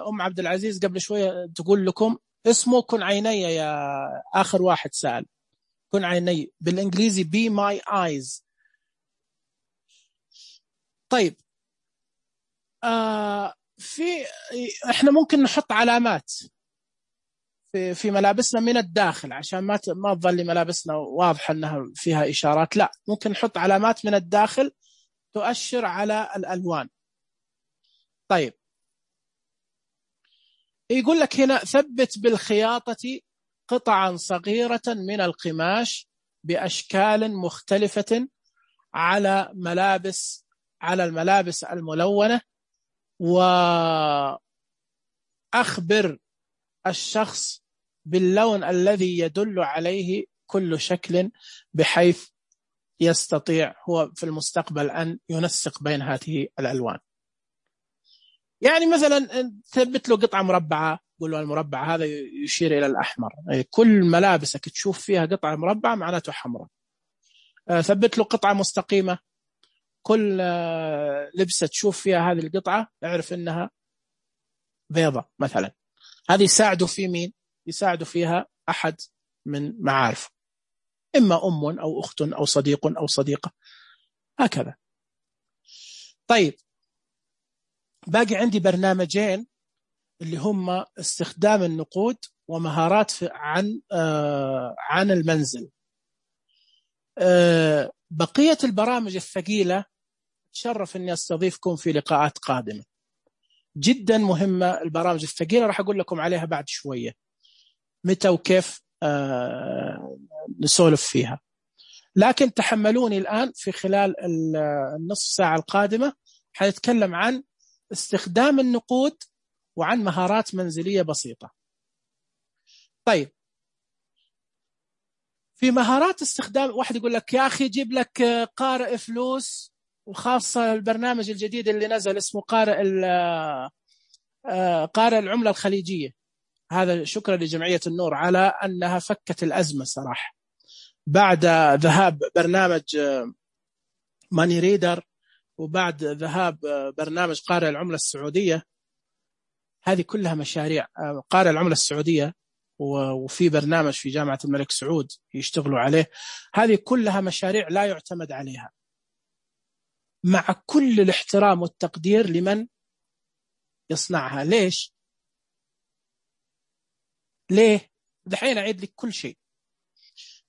أم عبد العزيز قبل شوية تقول لكم اسمه كن عيني. يا آخر واحد سأل كن عيني بالإنجليزي be my eyes. طيب آه في إحنا ممكن نحط علامات في في ملابسنا من الداخل عشان ما ما تظل ملابسنا واضحة أنها فيها إشارات. لا، ممكن نحط علامات من الداخل تؤشر على الألوان. طيب يقول لك هنا ثبت بالخياطة قطعا صغيرة من القماش بأشكال مختلفة على ملابس على الملابس الملونة، وأخبر الشخص باللون الذي يدل عليه كل شكل، بحيث يستطيع هو في المستقبل أن ينسق بين هذه الألوان. يعني مثلا ثبت له قطعة مربعة، قل له المربع هذا يشير إلى الأحمر، كل ملابسك تشوف فيها قطعة مربعة معناته حمراء. ثبت له قطعة مستقيمة، كل لبسة تشوف فيها هذه القطعة اعرف إنها بيضة مثلا. هذه يساعده في مين؟ يساعده فيها أحد من معارفه، إما أم أو أخت أو صديق أو صديقة، هكذا. طيب، باقي عندي برنامجين اللي هم استخدام النقود ومهارات عن آه عن المنزل. آه بقية البرامج الثقيلة تشرف أني أستضيفكم في لقاءات قادمة. جدا مهمة البرامج الثقيلة، راح أقول لكم عليها بعد شوية متى وكيف آه نسولف فيها، لكن تحملوني الآن في خلال النصف ساعة القادمة حنتكلم عن استخدام النقود وعن مهارات منزلية بسيطة. طيب، في مهارات استخدام، واحد يقول لك يا أخي جيب لك قارئ فلوس، وخاصة البرنامج الجديد اللي نزل اسمه قارئ قارئ العملة الخليجية. هذا شكرا لجمعية النور على أنها فكت الأزمة صراحة، بعد ذهاب برنامج ماني ريدر وبعد ذهاب برنامج قارئ العملة السعودية. هذه كلها مشاريع قارئ العملة السعودية، وفي برنامج في جامعة الملك سعود يشتغلوا عليه. هذه كلها مشاريع لا يعتمد عليها، مع كل الاحترام والتقدير لمن يصنعها. ليش؟ ليه؟ دحين أعيد لك كل شيء.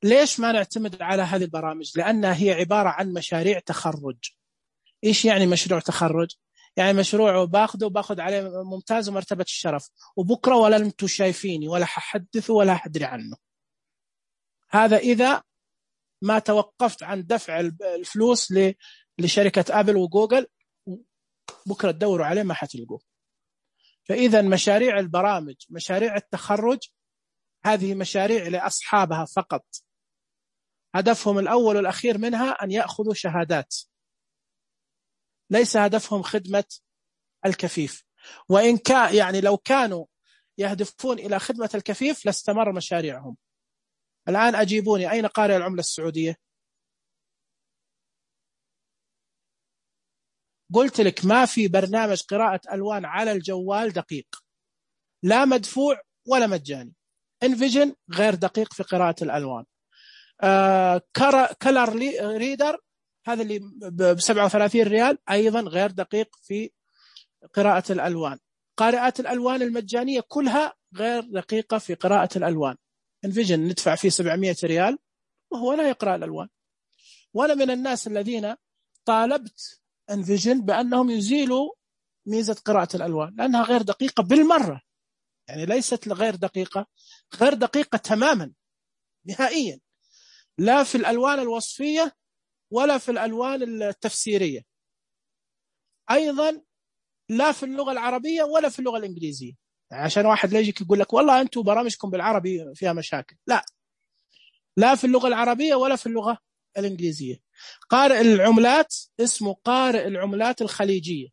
ليش ما نعتمد على هذه البرامج؟ لأنها هي عبارة عن مشاريع تخرج. إيش يعني مشروع تخرج؟ يعني مشروع باخده وباخد عليه ممتاز ومرتبة الشرف، وبكرة ولا أنتم شايفيني ولا ححدثه ولا حدري عنه. هذا إذا ما توقفت عن دفع الفلوس لشركة أبل وجوجل، بكرة تدوروا عليه ما حتلقوه. فإذا مشاريع البرامج، مشاريع التخرج، هذه مشاريع لأصحابها فقط، هدفهم الأول والأخير منها أن يأخذوا شهادات، ليس هدفهم خدمة الكفيف. وإن كان يعني لو كانوا يهدفون إلى خدمة الكفيف لاستمر مشاريعهم. الآن أجيبوني، أين قارئ العملة السعودية؟ قلت لك ما في برنامج قراءة ألوان على الجوال دقيق، لا مدفوع ولا مجاني. انفيجن غير دقيق في قراءة الألوان. آه كلر ريدر هذا اللي ب سبعة وثلاثين ريال أيضا غير دقيق في قراءة الألوان. قارئات الألوان المجانية كلها غير دقيقة في قراءة الألوان. انفيجن ندفع فيه سبعمائة ريال وهو لا يقرأ الألوان. وأنا من الناس الذين طالبت انفيجن بأنهم يزيلوا ميزة قراءة الألوان، لأنها غير دقيقة بالمرة. يعني ليست غير دقيقة، غير دقيقة تماما نهائيا، لا في الألوان الوصفية ولا في الألوان التفسيرية، أيضا لا في اللغة العربية ولا في اللغة الإنجليزية. عشان واحد لا يجيك يقول لك والله أنتم برامجكم بالعربي فيها مشاكل، لا، لا في اللغة العربية ولا في اللغة الإنجليزية. قارئ العملات اسمه قارئ العملات الخليجية،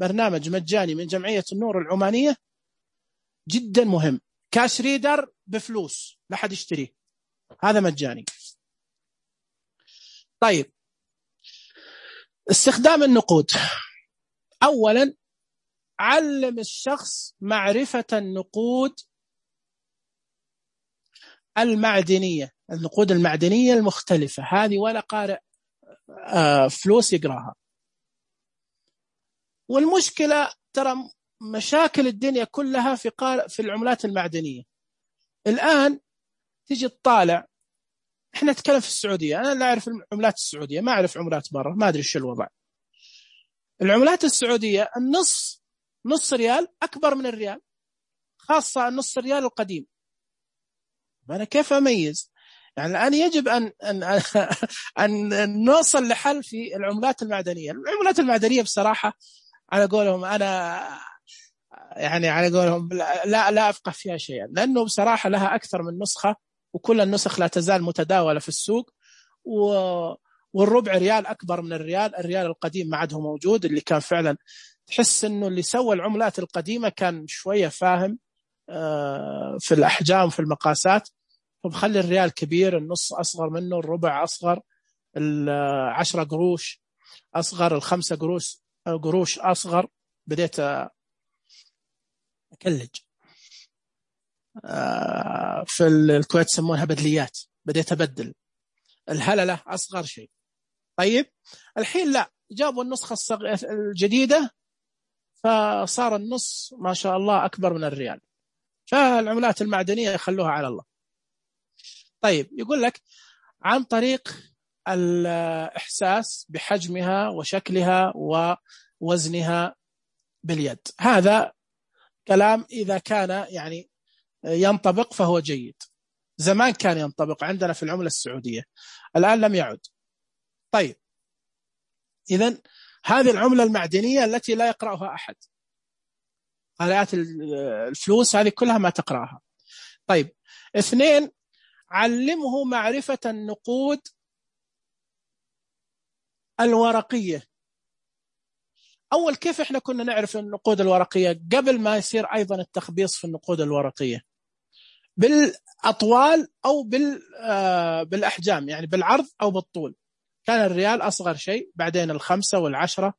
برنامج مجاني من جمعية النور العمانية، جدا مهم. كاش ريدر بفلوس لا حد يشتريه، هذا مجاني. طيب، استخدام النقود. أولا علم الشخص معرفة النقود المعدنية، النقود المعدنية المختلفة هذه، ولا قارئ فلوس يقراها. والمشكلة ترى مشاكل الدنيا كلها في قارئ في العملات المعدنية. الآن تيجي تطالع، احنا نتكلم في السعودية، أنا لا أعرف العملات السعودية، ما أعرف عملات برا، ما أدري شو الوضع. العملات السعودية النص نص ريال أكبر من الريال، خاصة النص ريال القديم. أنا كيف أميز يعني الآن يجب أن أن أن نوصل لحل في العملات المعدنية. العملات المعدنية بصراحة على قولهم أنا يعني على قولهم لا لا أفقه فيها شيئا، لأنه بصراحة لها أكثر من نسخة، وكل النسخ لا تزال متداولة في السوق، و والربع ريال أكبر من الريال. الريال القديم ما عاد هو موجود، اللي كان فعلا تحس إنه اللي سوى العملات القديمة كان شوية فاهم في الأحجام في المقاسات، فبخلي الريال كبير، النص أصغر منه، الربع أصغر، العشرة قروش أصغر، الخمسة قروش قروش أصغر. بديت أكلج في الكويت سمونها بدليات، بديت أبدل الهللة أصغر شيء. طيب الحين لا، جابوا النسخة الجديدة فصار النص ما شاء الله أكبر من الريال. فالعملات المعدنية يخلوها على الله. طيب يقول لك عن طريق الإحساس بحجمها وشكلها ووزنها باليد. هذا كلام إذا كان يعني ينطبق فهو جيد. زمان كان ينطبق عندنا في العملة السعودية، الآن لم يعد. طيب إذن هذه العملة المعدنية التي لا يقرأها أحد، آلات الفلوس هذه كلها ما تقرأها. طيب اثنين، علمه معرفة النقود الورقية. أول كيف إحنا كنا نعرف النقود الورقية قبل ما يصير أيضا التخبيص في النقود الورقية؟ بالأطوال أو بالأحجام، يعني بالعرض أو بالطول. كان الريال أصغر شيء، بعدين الخمسة والعشرة،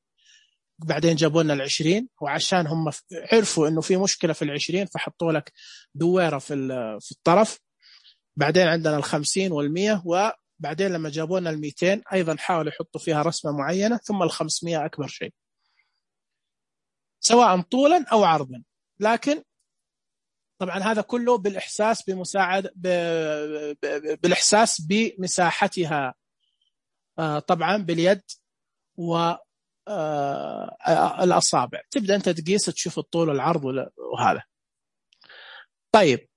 بعدين جابوا لنا العشرين، وعشان هم عرفوا إنه في مشكلة في العشرين فحطوا لك دويرة في في الطرف. بعدين عندنا الخمسين والمية، وبعدين لما جابوا لنا الميتين أيضا حاولوا يحطوا فيها رسمة معينة، ثم الخمسمية أكبر شيء سواء طولا أو عرضا. لكن طبعا هذا كله بالإحساس بمساعد ب... ب... بالإحساس بمساحتها طبعا باليد والأصابع. تبدأ أنت تقيس تشوف الطول والعرض وهذا. طيب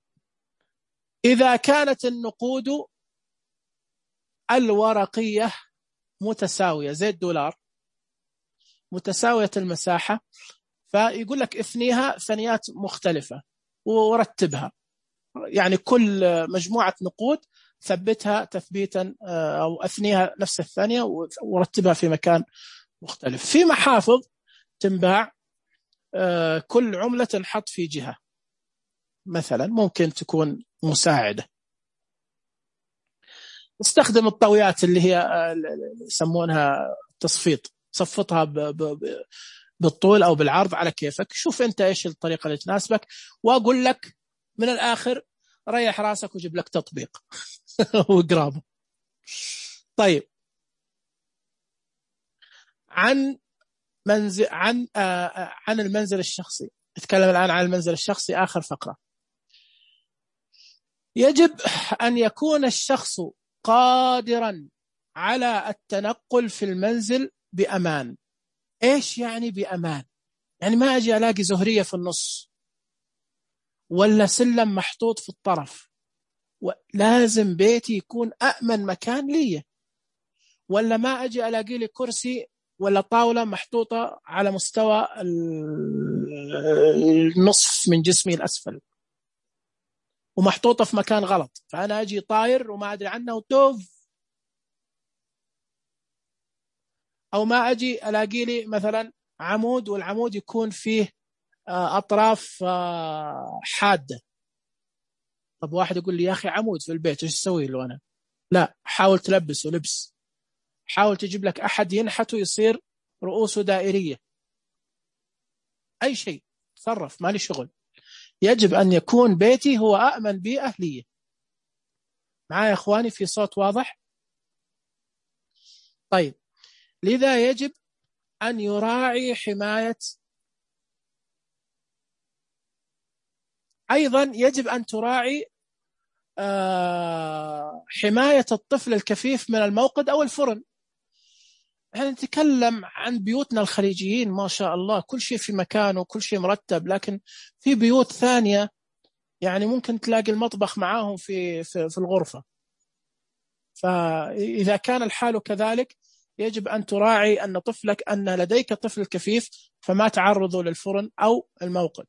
إذا كانت النقود الورقية متساوية زي الدولار متساوية المساحة، فيقول لك اثنيها ثنيات مختلفة ورتبها، يعني كل مجموعة نقود ثبتها تثبيتا أو أثنيها نفس الثانية ورتبها في مكان مختلف. في محافظ تنباع كل عملة تنحط في جهة، مثلا ممكن تكون مساعدة. استخدم الطاويات اللي هي يسمونها تصفيط، صفطها ب ب بالطول أو بالعرض على كيفك. شوف أنت إيش الطريقة اللي تناسبك، وأقول لك من الآخر ريح راسك وجيب لك تطبيق وقرابه. طيب عن منزل عن آه عن المنزل الشخصي. نتكلم الآن عن المنزل الشخصي، آخر فقرة. يجب أن يكون الشخص قادرا على التنقل في المنزل بأمان. إيش يعني بأمان؟ يعني ما أجي ألاقي زهرية في النص ولا سلم محطوط في الطرف، لازم بيتي يكون أأمن مكان لي. ولا ما أجي ألاقي لي كرسي ولا طاولة محطوطة على مستوى النصف من جسمي الأسفل ومحطوطة في مكان غلط، فأنا أجي طاير وما أدري عنه وتوف. أو ما أجي ألاقي لي مثلا عمود والعمود يكون فيه أطراف حادة. طب واحد يقول لي يا أخي عمود في البيت إيش أسوي له أنا؟ لا، حاول تلبسه لبس، حاول تجيب لك أحد ينحته يصير رؤوسه دائرية، أي شيء تصرف، مالي شغل. يجب أن يكون بيتي هو أأمن بيئة لي. معايا يا أخواني في صوت واضح؟ طيب لذا يجب أن يراعي حماية، أيضا يجب أن تراعي آه حماية الطفل الكفيف من الموقد أو الفرن. احنا نتكلم عن بيوتنا الخليجيين ما شاء الله كل شيء في مكانه وكل شيء مرتب، لكن في بيوت ثانية يعني ممكن تلاقي المطبخ معاهم في في, في الغرفة. فإذا كان الحال كذلك يجب أن تراعي أن طفلك أن لديك طفل كفيف فما تعرضه للفرن أو الموقد.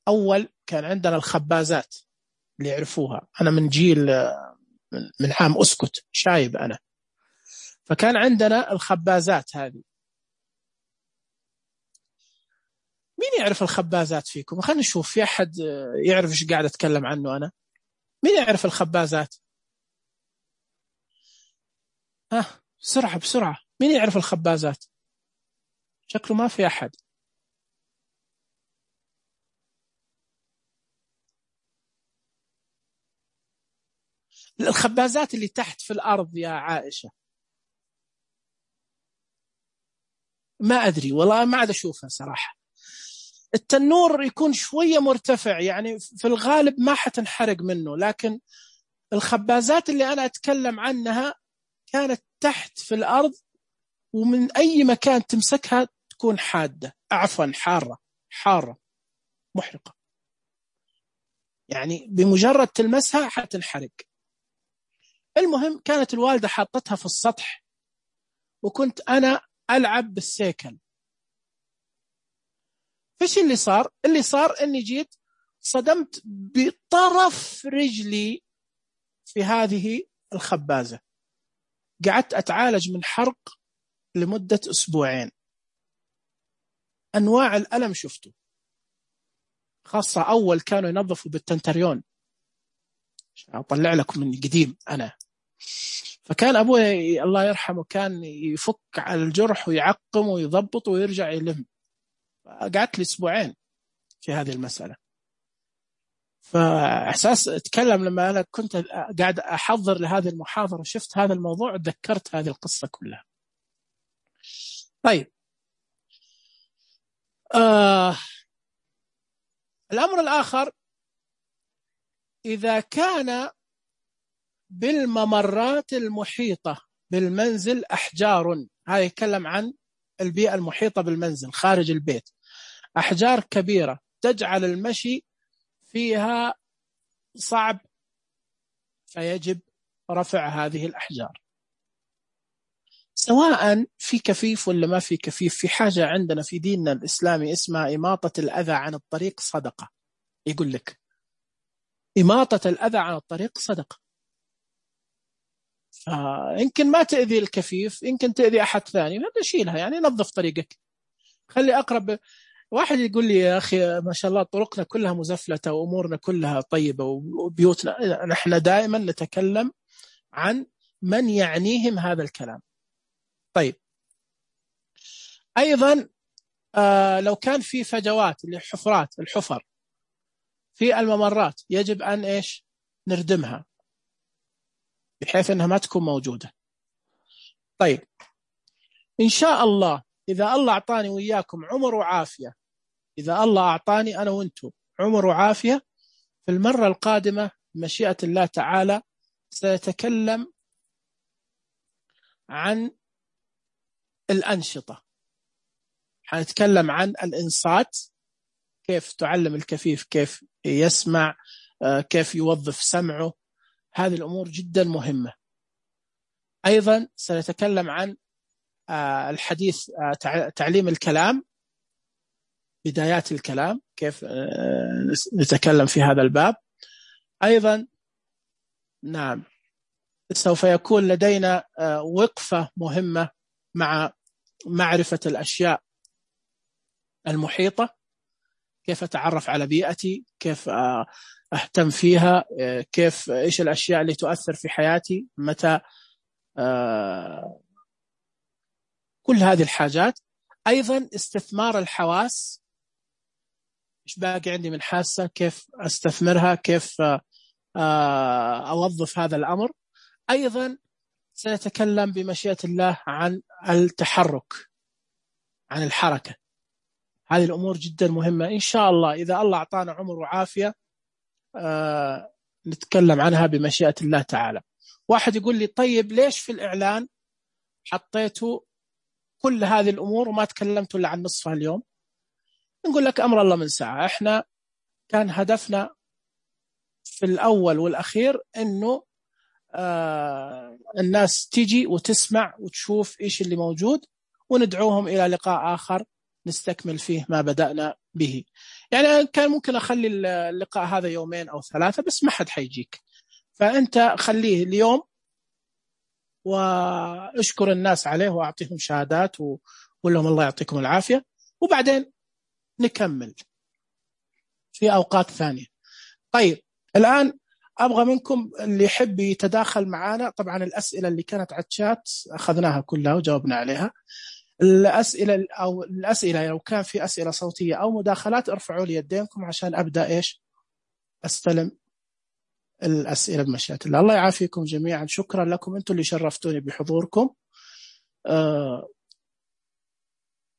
أول كان عندنا الخبازات اللي يعرفوها، أنا من جيل من عام أسكت شايب أنا، فكان عندنا الخبازات هذه. مين يعرف الخبازات فيكم؟ خلينا نشوف في أحد يعرف إيش قاعد أتكلم عنه أنا. مين يعرف الخبازات؟ ها بسرعة بسرعة، مين يعرف الخبازات؟ شكله ما في أحد. الخبازات اللي تحت في الأرض يا عائشة، ما أدري والله، ما عاد أشوفها صراحة. التنور يكون شوية مرتفع، يعني في الغالب ما حتنحرق منه، لكن الخبازات اللي أنا أتكلم عنها كانت تحت في الأرض، ومن أي مكان تمسكها تكون حادة، عفوا حارة حارة محرقة، يعني بمجرد تلمسها حتنحرق. المهم كانت الوالدة حاطتها في السطح، وكنت أنا ألعب بالسيكل. فيش اللي صار؟ اللي صار أني جيت صدمت بطرف رجلي في هذه الخبازة، قعدت أتعالج من حرق لمدة أسبوعين. أنواع الألم شفته، خاصة أول كانوا ينظفوا بالتنتريون، أطلع لكم من قديم أنا. فكان أبوي الله يرحمه كان يفك على الجرح ويعقم ويضبط ويرجع يلم. قعدت لي أسبوعين في هذه المسألة. فإحساس أتكلم لما أنا كنت قاعد أحضر لهذه المحاضرة، شفت هذا الموضوع تذكرت هذه القصة كلها. طيب آه الأمر الآخر، إذا كان بالممرات المحيطة بالمنزل أحجار، هذا يتكلم عن البيئة المحيطة بالمنزل خارج البيت، أحجار كبيرة تجعل المشي فيها صعب، فيجب رفع هذه الأحجار، سواء في كفيف ولا ما في كفيف. في حاجة عندنا في ديننا الإسلامي اسمها إماطة الأذى عن الطريق صدقة. يقول لك إماطة الأذى عن الطريق صدقة، فيمكن ما تأذي الكفيف، يمكن تأذي أحد ثاني، شيلها يعني، نظف طريقك، خلي أقرب. واحد يقول لي يا أخي ما شاء الله طرقنا كلها مزفلتة وأمورنا كلها طيبة وبيوتنا، نحن دائما نتكلم عن من يعنيهم هذا الكلام. طيب أيضا آه لو كان في فجوات اللي حفرات الحفر في الممرات، يجب أن إيش نردمها بحيث أنها ما تكون موجودة. طيب إن شاء الله إذا الله أعطاني وإياكم عمر وعافية، إذا الله أعطاني أنا وإنتم عمر وعافية، في المرة القادمة مشيئة الله تعالى سيتكلم عن الأنشطة، حنتكلم عن الإنصات، كيف تعلم الكفيف كيف يسمع، كيف يوظف سمعه، هذه الأمور جدا مهمة. أيضا سنتكلم عن الحديث، تعليم الكلام، بدايات الكلام، كيف نتكلم في هذا الباب. أيضا نعم سوف يكون لدينا وقفة مهمة مع معرفة الأشياء المحيطة، كيف أتعرف على بيئتي، كيف أهتم فيها، كيف إيش الأشياء اللي تؤثر في حياتي، متى، كل هذه الحاجات. أيضا استثمار الحواس، إيش باقي عندي من حاسة، كيف أستثمرها، كيف أوظف هذا الأمر. أيضا سنتكلم بمشيئة الله عن التحرك، عن الحركة، هذه الأمور جدا مهمة. إن شاء الله إذا الله أعطانا عمر وعافية آه نتكلم عنها بمشيئة الله تعالى. واحد يقول لي طيب ليش في الإعلان حطيتوا كل هذه الأمور وما تكلمتوا إلا عن نصفها اليوم؟ نقول لك أمر الله من ساعة، إحنا كان هدفنا في الأول والأخير أنه آه الناس تيجي وتسمع وتشوف إيش اللي موجود، وندعوهم إلى لقاء آخر نستكمل فيه ما بدأنا به. يعني كان ممكن أخلي اللقاء هذا يومين أو ثلاثة، بس ما حد حيجيك، فأنت خليه اليوم واشكر الناس عليه وأعطيهم شهادات وقول لهم الله يعطيكم العافية، وبعدين نكمل في أوقات ثانية. طيب الآن أبغى منكم اللي يحب يتداخل معنا. طبعا الأسئلة اللي كانت على الشات أخذناها كلها وجاوبنا عليها. الأسئلة أو الأسئلة لو كان في أسئلة صوتية أو مداخلات ارفعوا لي يدينكم عشان أبدأ إيش أستلم الأسئلة بمشيئة الله. الله يعافيكم جميعا، شكرا لكم أنتم اللي شرفتوني بحضوركم. أه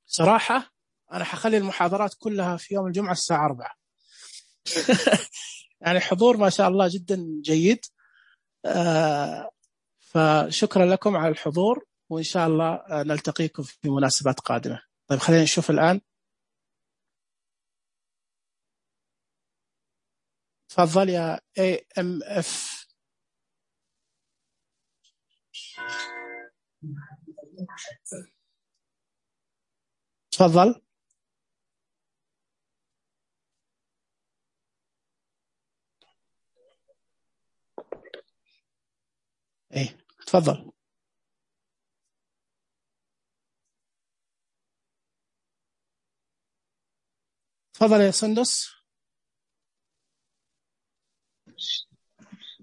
صراحة أنا حخلي المحاضرات كلها في يوم الجمعة الساعة أربعة. يعني حضور ما شاء الله جدا جيد. أه فشكرا لكم على الحضور، وإن شاء الله نلتقيكم في مناسبات قادمة. طيب خلينا نشوف الآن. تفضل يا إيه إم إف. تفضل. إيه تفضل. تفضل يا سندس.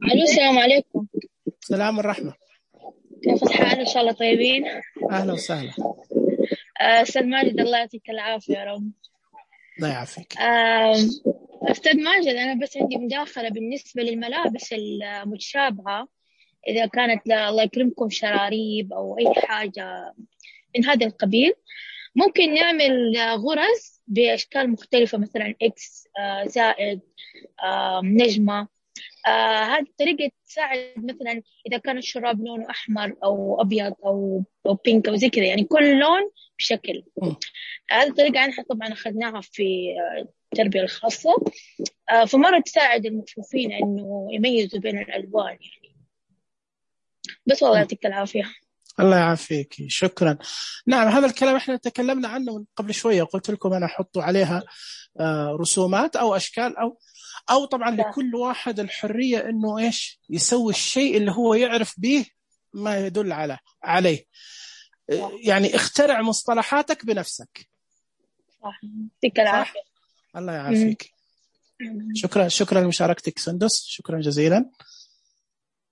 الو السلام عليكم. السلام والرحمة. كيف الحال؟ ان شاء الله طيبين. اهلا وسهلا. استاذ ماجد الله يعطيك العافية يا رب. الله يعافيك. استاذ ماجد انا بس عندي مداخلة بالنسبة للملابس المتشابهة، اذا كانت الله يكرمكم شراريب او اي حاجة من هذا القبيل، ممكن نعمل غرز باشكال مختلفة، مثلا اكس زائد نجمة. آه هذه الطريقة تساعد، مثلا إذا كان الشراب لونه أحمر أو أبيض أو أو بينك أو زي كذا، يعني كل لون بشكل. هذه الطريقة نحن طبعا أخذناها في التربية الخاصة، آه فمرة تساعد المكفوفين إنه يميزوا بين الألوان يعني. بس والله يعطيك العافية. الله يعافيك، شكرا. نعم هذا الكلام احنا تكلمنا عنه قبل شوية، قلت لكم أنا أحط عليها آه رسومات أو أشكال أو أو طبعا لكل واحد الحرية إنه إيش يسوي الشيء اللي هو يعرف به ما يدل على عليه. يعني اخترع مصطلحاتك بنفسك. صح. يعطيك العافية. الله يعافيك. شكرا شكرا لمشاركتك سندس، شكرا جزيلا.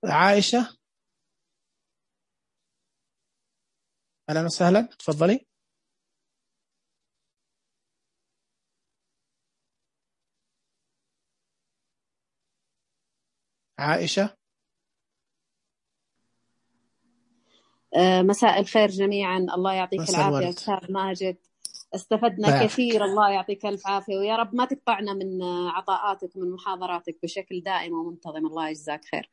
عائشة أهلا وسهلا، تفضلي. عائشة. مساء الخير جميعا، الله يعطيك العافية أستاذ ماجد، استفدنا بارك. كثير، الله يعطيك ألف عافية، ويا رب ما تقطعنا من عطاءاتك ومن محاضراتك بشكل دائم ومنتظم، الله يجزاك خير.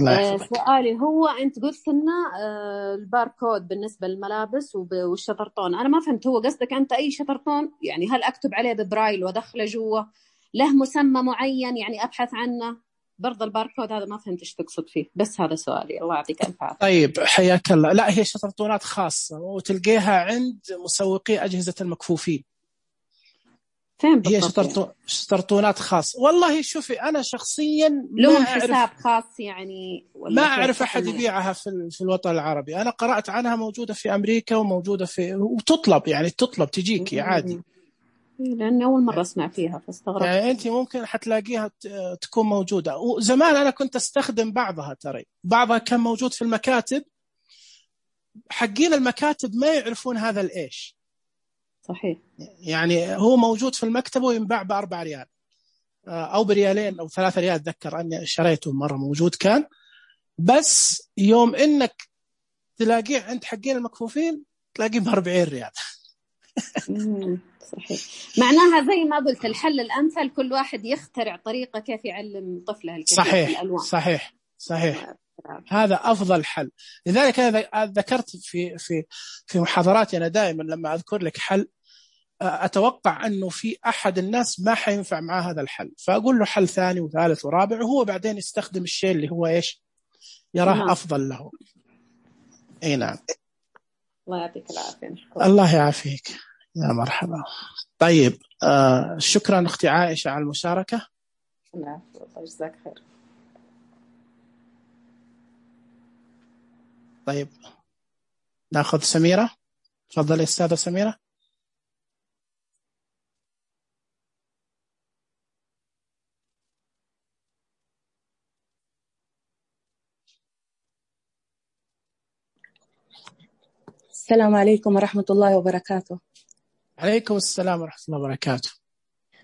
آه سؤالي هو أنت قلت لنا آه الباركود بالنسبة للملابس والشطرطون، أنا ما فهمت، هو قصدك أنت أي شطرطون يعني هل أكتب عليه ببرايل وأدخله جوا، له مسمى معين يعني أبحث عنه؟ برضه الباركود هذا ما فهمت ايش تقصد فيه، بس هذا سؤالي، الله يعطيك الف عافيه. طيب حياك الله. لا هي شطرطونات خاصه وتلقيها عند مسوقي اجهزه المكفوفين. فين هي شطرطو... شطرطونات خاصه. والله شوفي انا شخصيا لهم حساب خاص يعني ما اعرف احد يبيعها في في الوطن العربي. انا قرات عنها موجوده في امريكا وموجوده في وتطلب، يعني تطلب تجيك عادي، لأن أول مرة أسمع فيها فاستغربت. يعني أنت ممكن حتلاقيها تكون موجودة. وزمان أنا كنت أستخدم بعضها، ترى بعضها كان موجود في المكاتب، حقين المكاتب ما يعرفون هذا الإيش. صحيح. يعني هو موجود في المكتب وينباع بأربع ريال أو بريالين أو ثلاثة ريال، أتذكر أني شريته مرة موجود كان، بس يوم إنك تلاقيه عند حقين المكفوفين تلاقيه بأربعين ريال. صحيح. معناها زي ما قلت الحل الأمثل كل واحد يخترع طريقة كيف يعلم طفله الكثير صحيح. في الألوان. صحيح صحيح هذا أفضل حل. لذلك أنا ذكرت في في في محاضراتي أنا دائما لما أذكر لك حل أتوقع أنه في أحد الناس ما حينفع معه هذا الحل، فأقول له حل ثاني وثالث ورابع، وهو بعدين يستخدم الشيء اللي هو إيش يراه نعم. أفضل له. أي نعم. الله يعطيك العافية. الله يعافيك يا مرحبا. طيب آه شكرا أختي عائشة على المشاركة. الله يجزاك خير. طيب ناخذ سميرة. تفضلي أستاذة سميرة. السلام عليكم ورحمة الله وبركاته. عليكم السلام ورحمة الله وبركاته.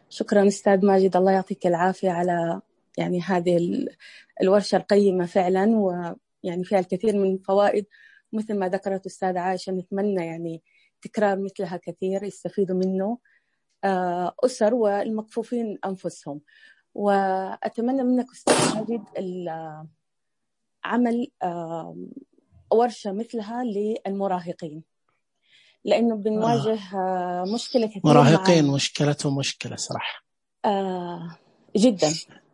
شكرا أستاذ ماجد، الله يعطيك العافية على يعني هذه الورشة القيمة فعلا، ويعني فيها الكثير من الفوائد، مثل ما ذكرت أستاذ عائشة. نتمنى يعني تكرار مثلها كثير يستفيدوا منه أسر والمكفوفين أنفسهم. وأتمنى منك أستاذ ماجد عمل ورشة مثلها للمراهقين، لأنه بنواجه آه. مشكلة كثيرة. مراهقين مشكلتهم مشكلة صراحة آه جدا،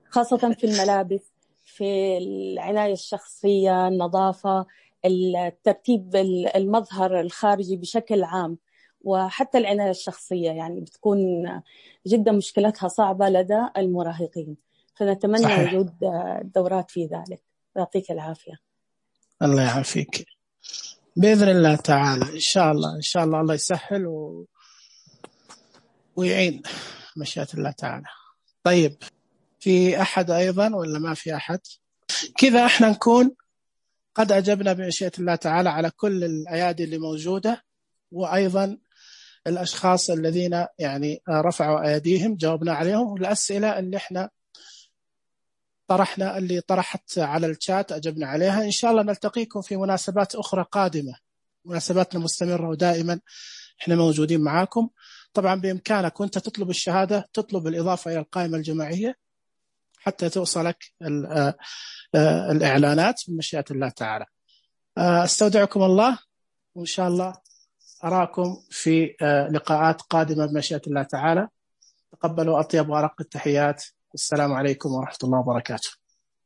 خاصة في الملابس، في العناية الشخصية، النظافة، الترتيب المظهر الخارجي بشكل عام، وحتى العناية الشخصية يعني بتكون جدا مشكلتها صعبة لدى المراهقين. فنتمنى صحيح. وجود دورات في ذلك. يعطيك العافية. الله يعافيك بإذن الله تعالى. إن شاء الله إن شاء الله الله يسهل و... ويعين مشيئة الله تعالى. طيب في أحد أيضا ولا ما في أحد؟ كذا إحنا نكون قد أجبنا بمشيئة الله تعالى على كل الأيادي اللي موجودة، وأيضا الأشخاص الذين يعني رفعوا أيديهم جاوبنا عليهم، والأسئلة اللي إحنا طرحنا اللي طرحت على الشات أجبنا عليها. إن شاء الله نلتقيكم في مناسبات أخرى قادمة، مناسباتنا مستمرة ودائما إحنا موجودين معاكم. طبعا بإمكانك وأنت تطلب الشهادة تطلب الإضافة إلى القائمة الجماعية حتى توصلك الإعلانات بمشيئة الله تعالى. أستودعكم الله، وإن شاء الله أراكم في لقاءات قادمة بمشيئة الله تعالى. تقبلوا أطيب وأرق التحيات. السلام عليكم ورحمة الله وبركاته.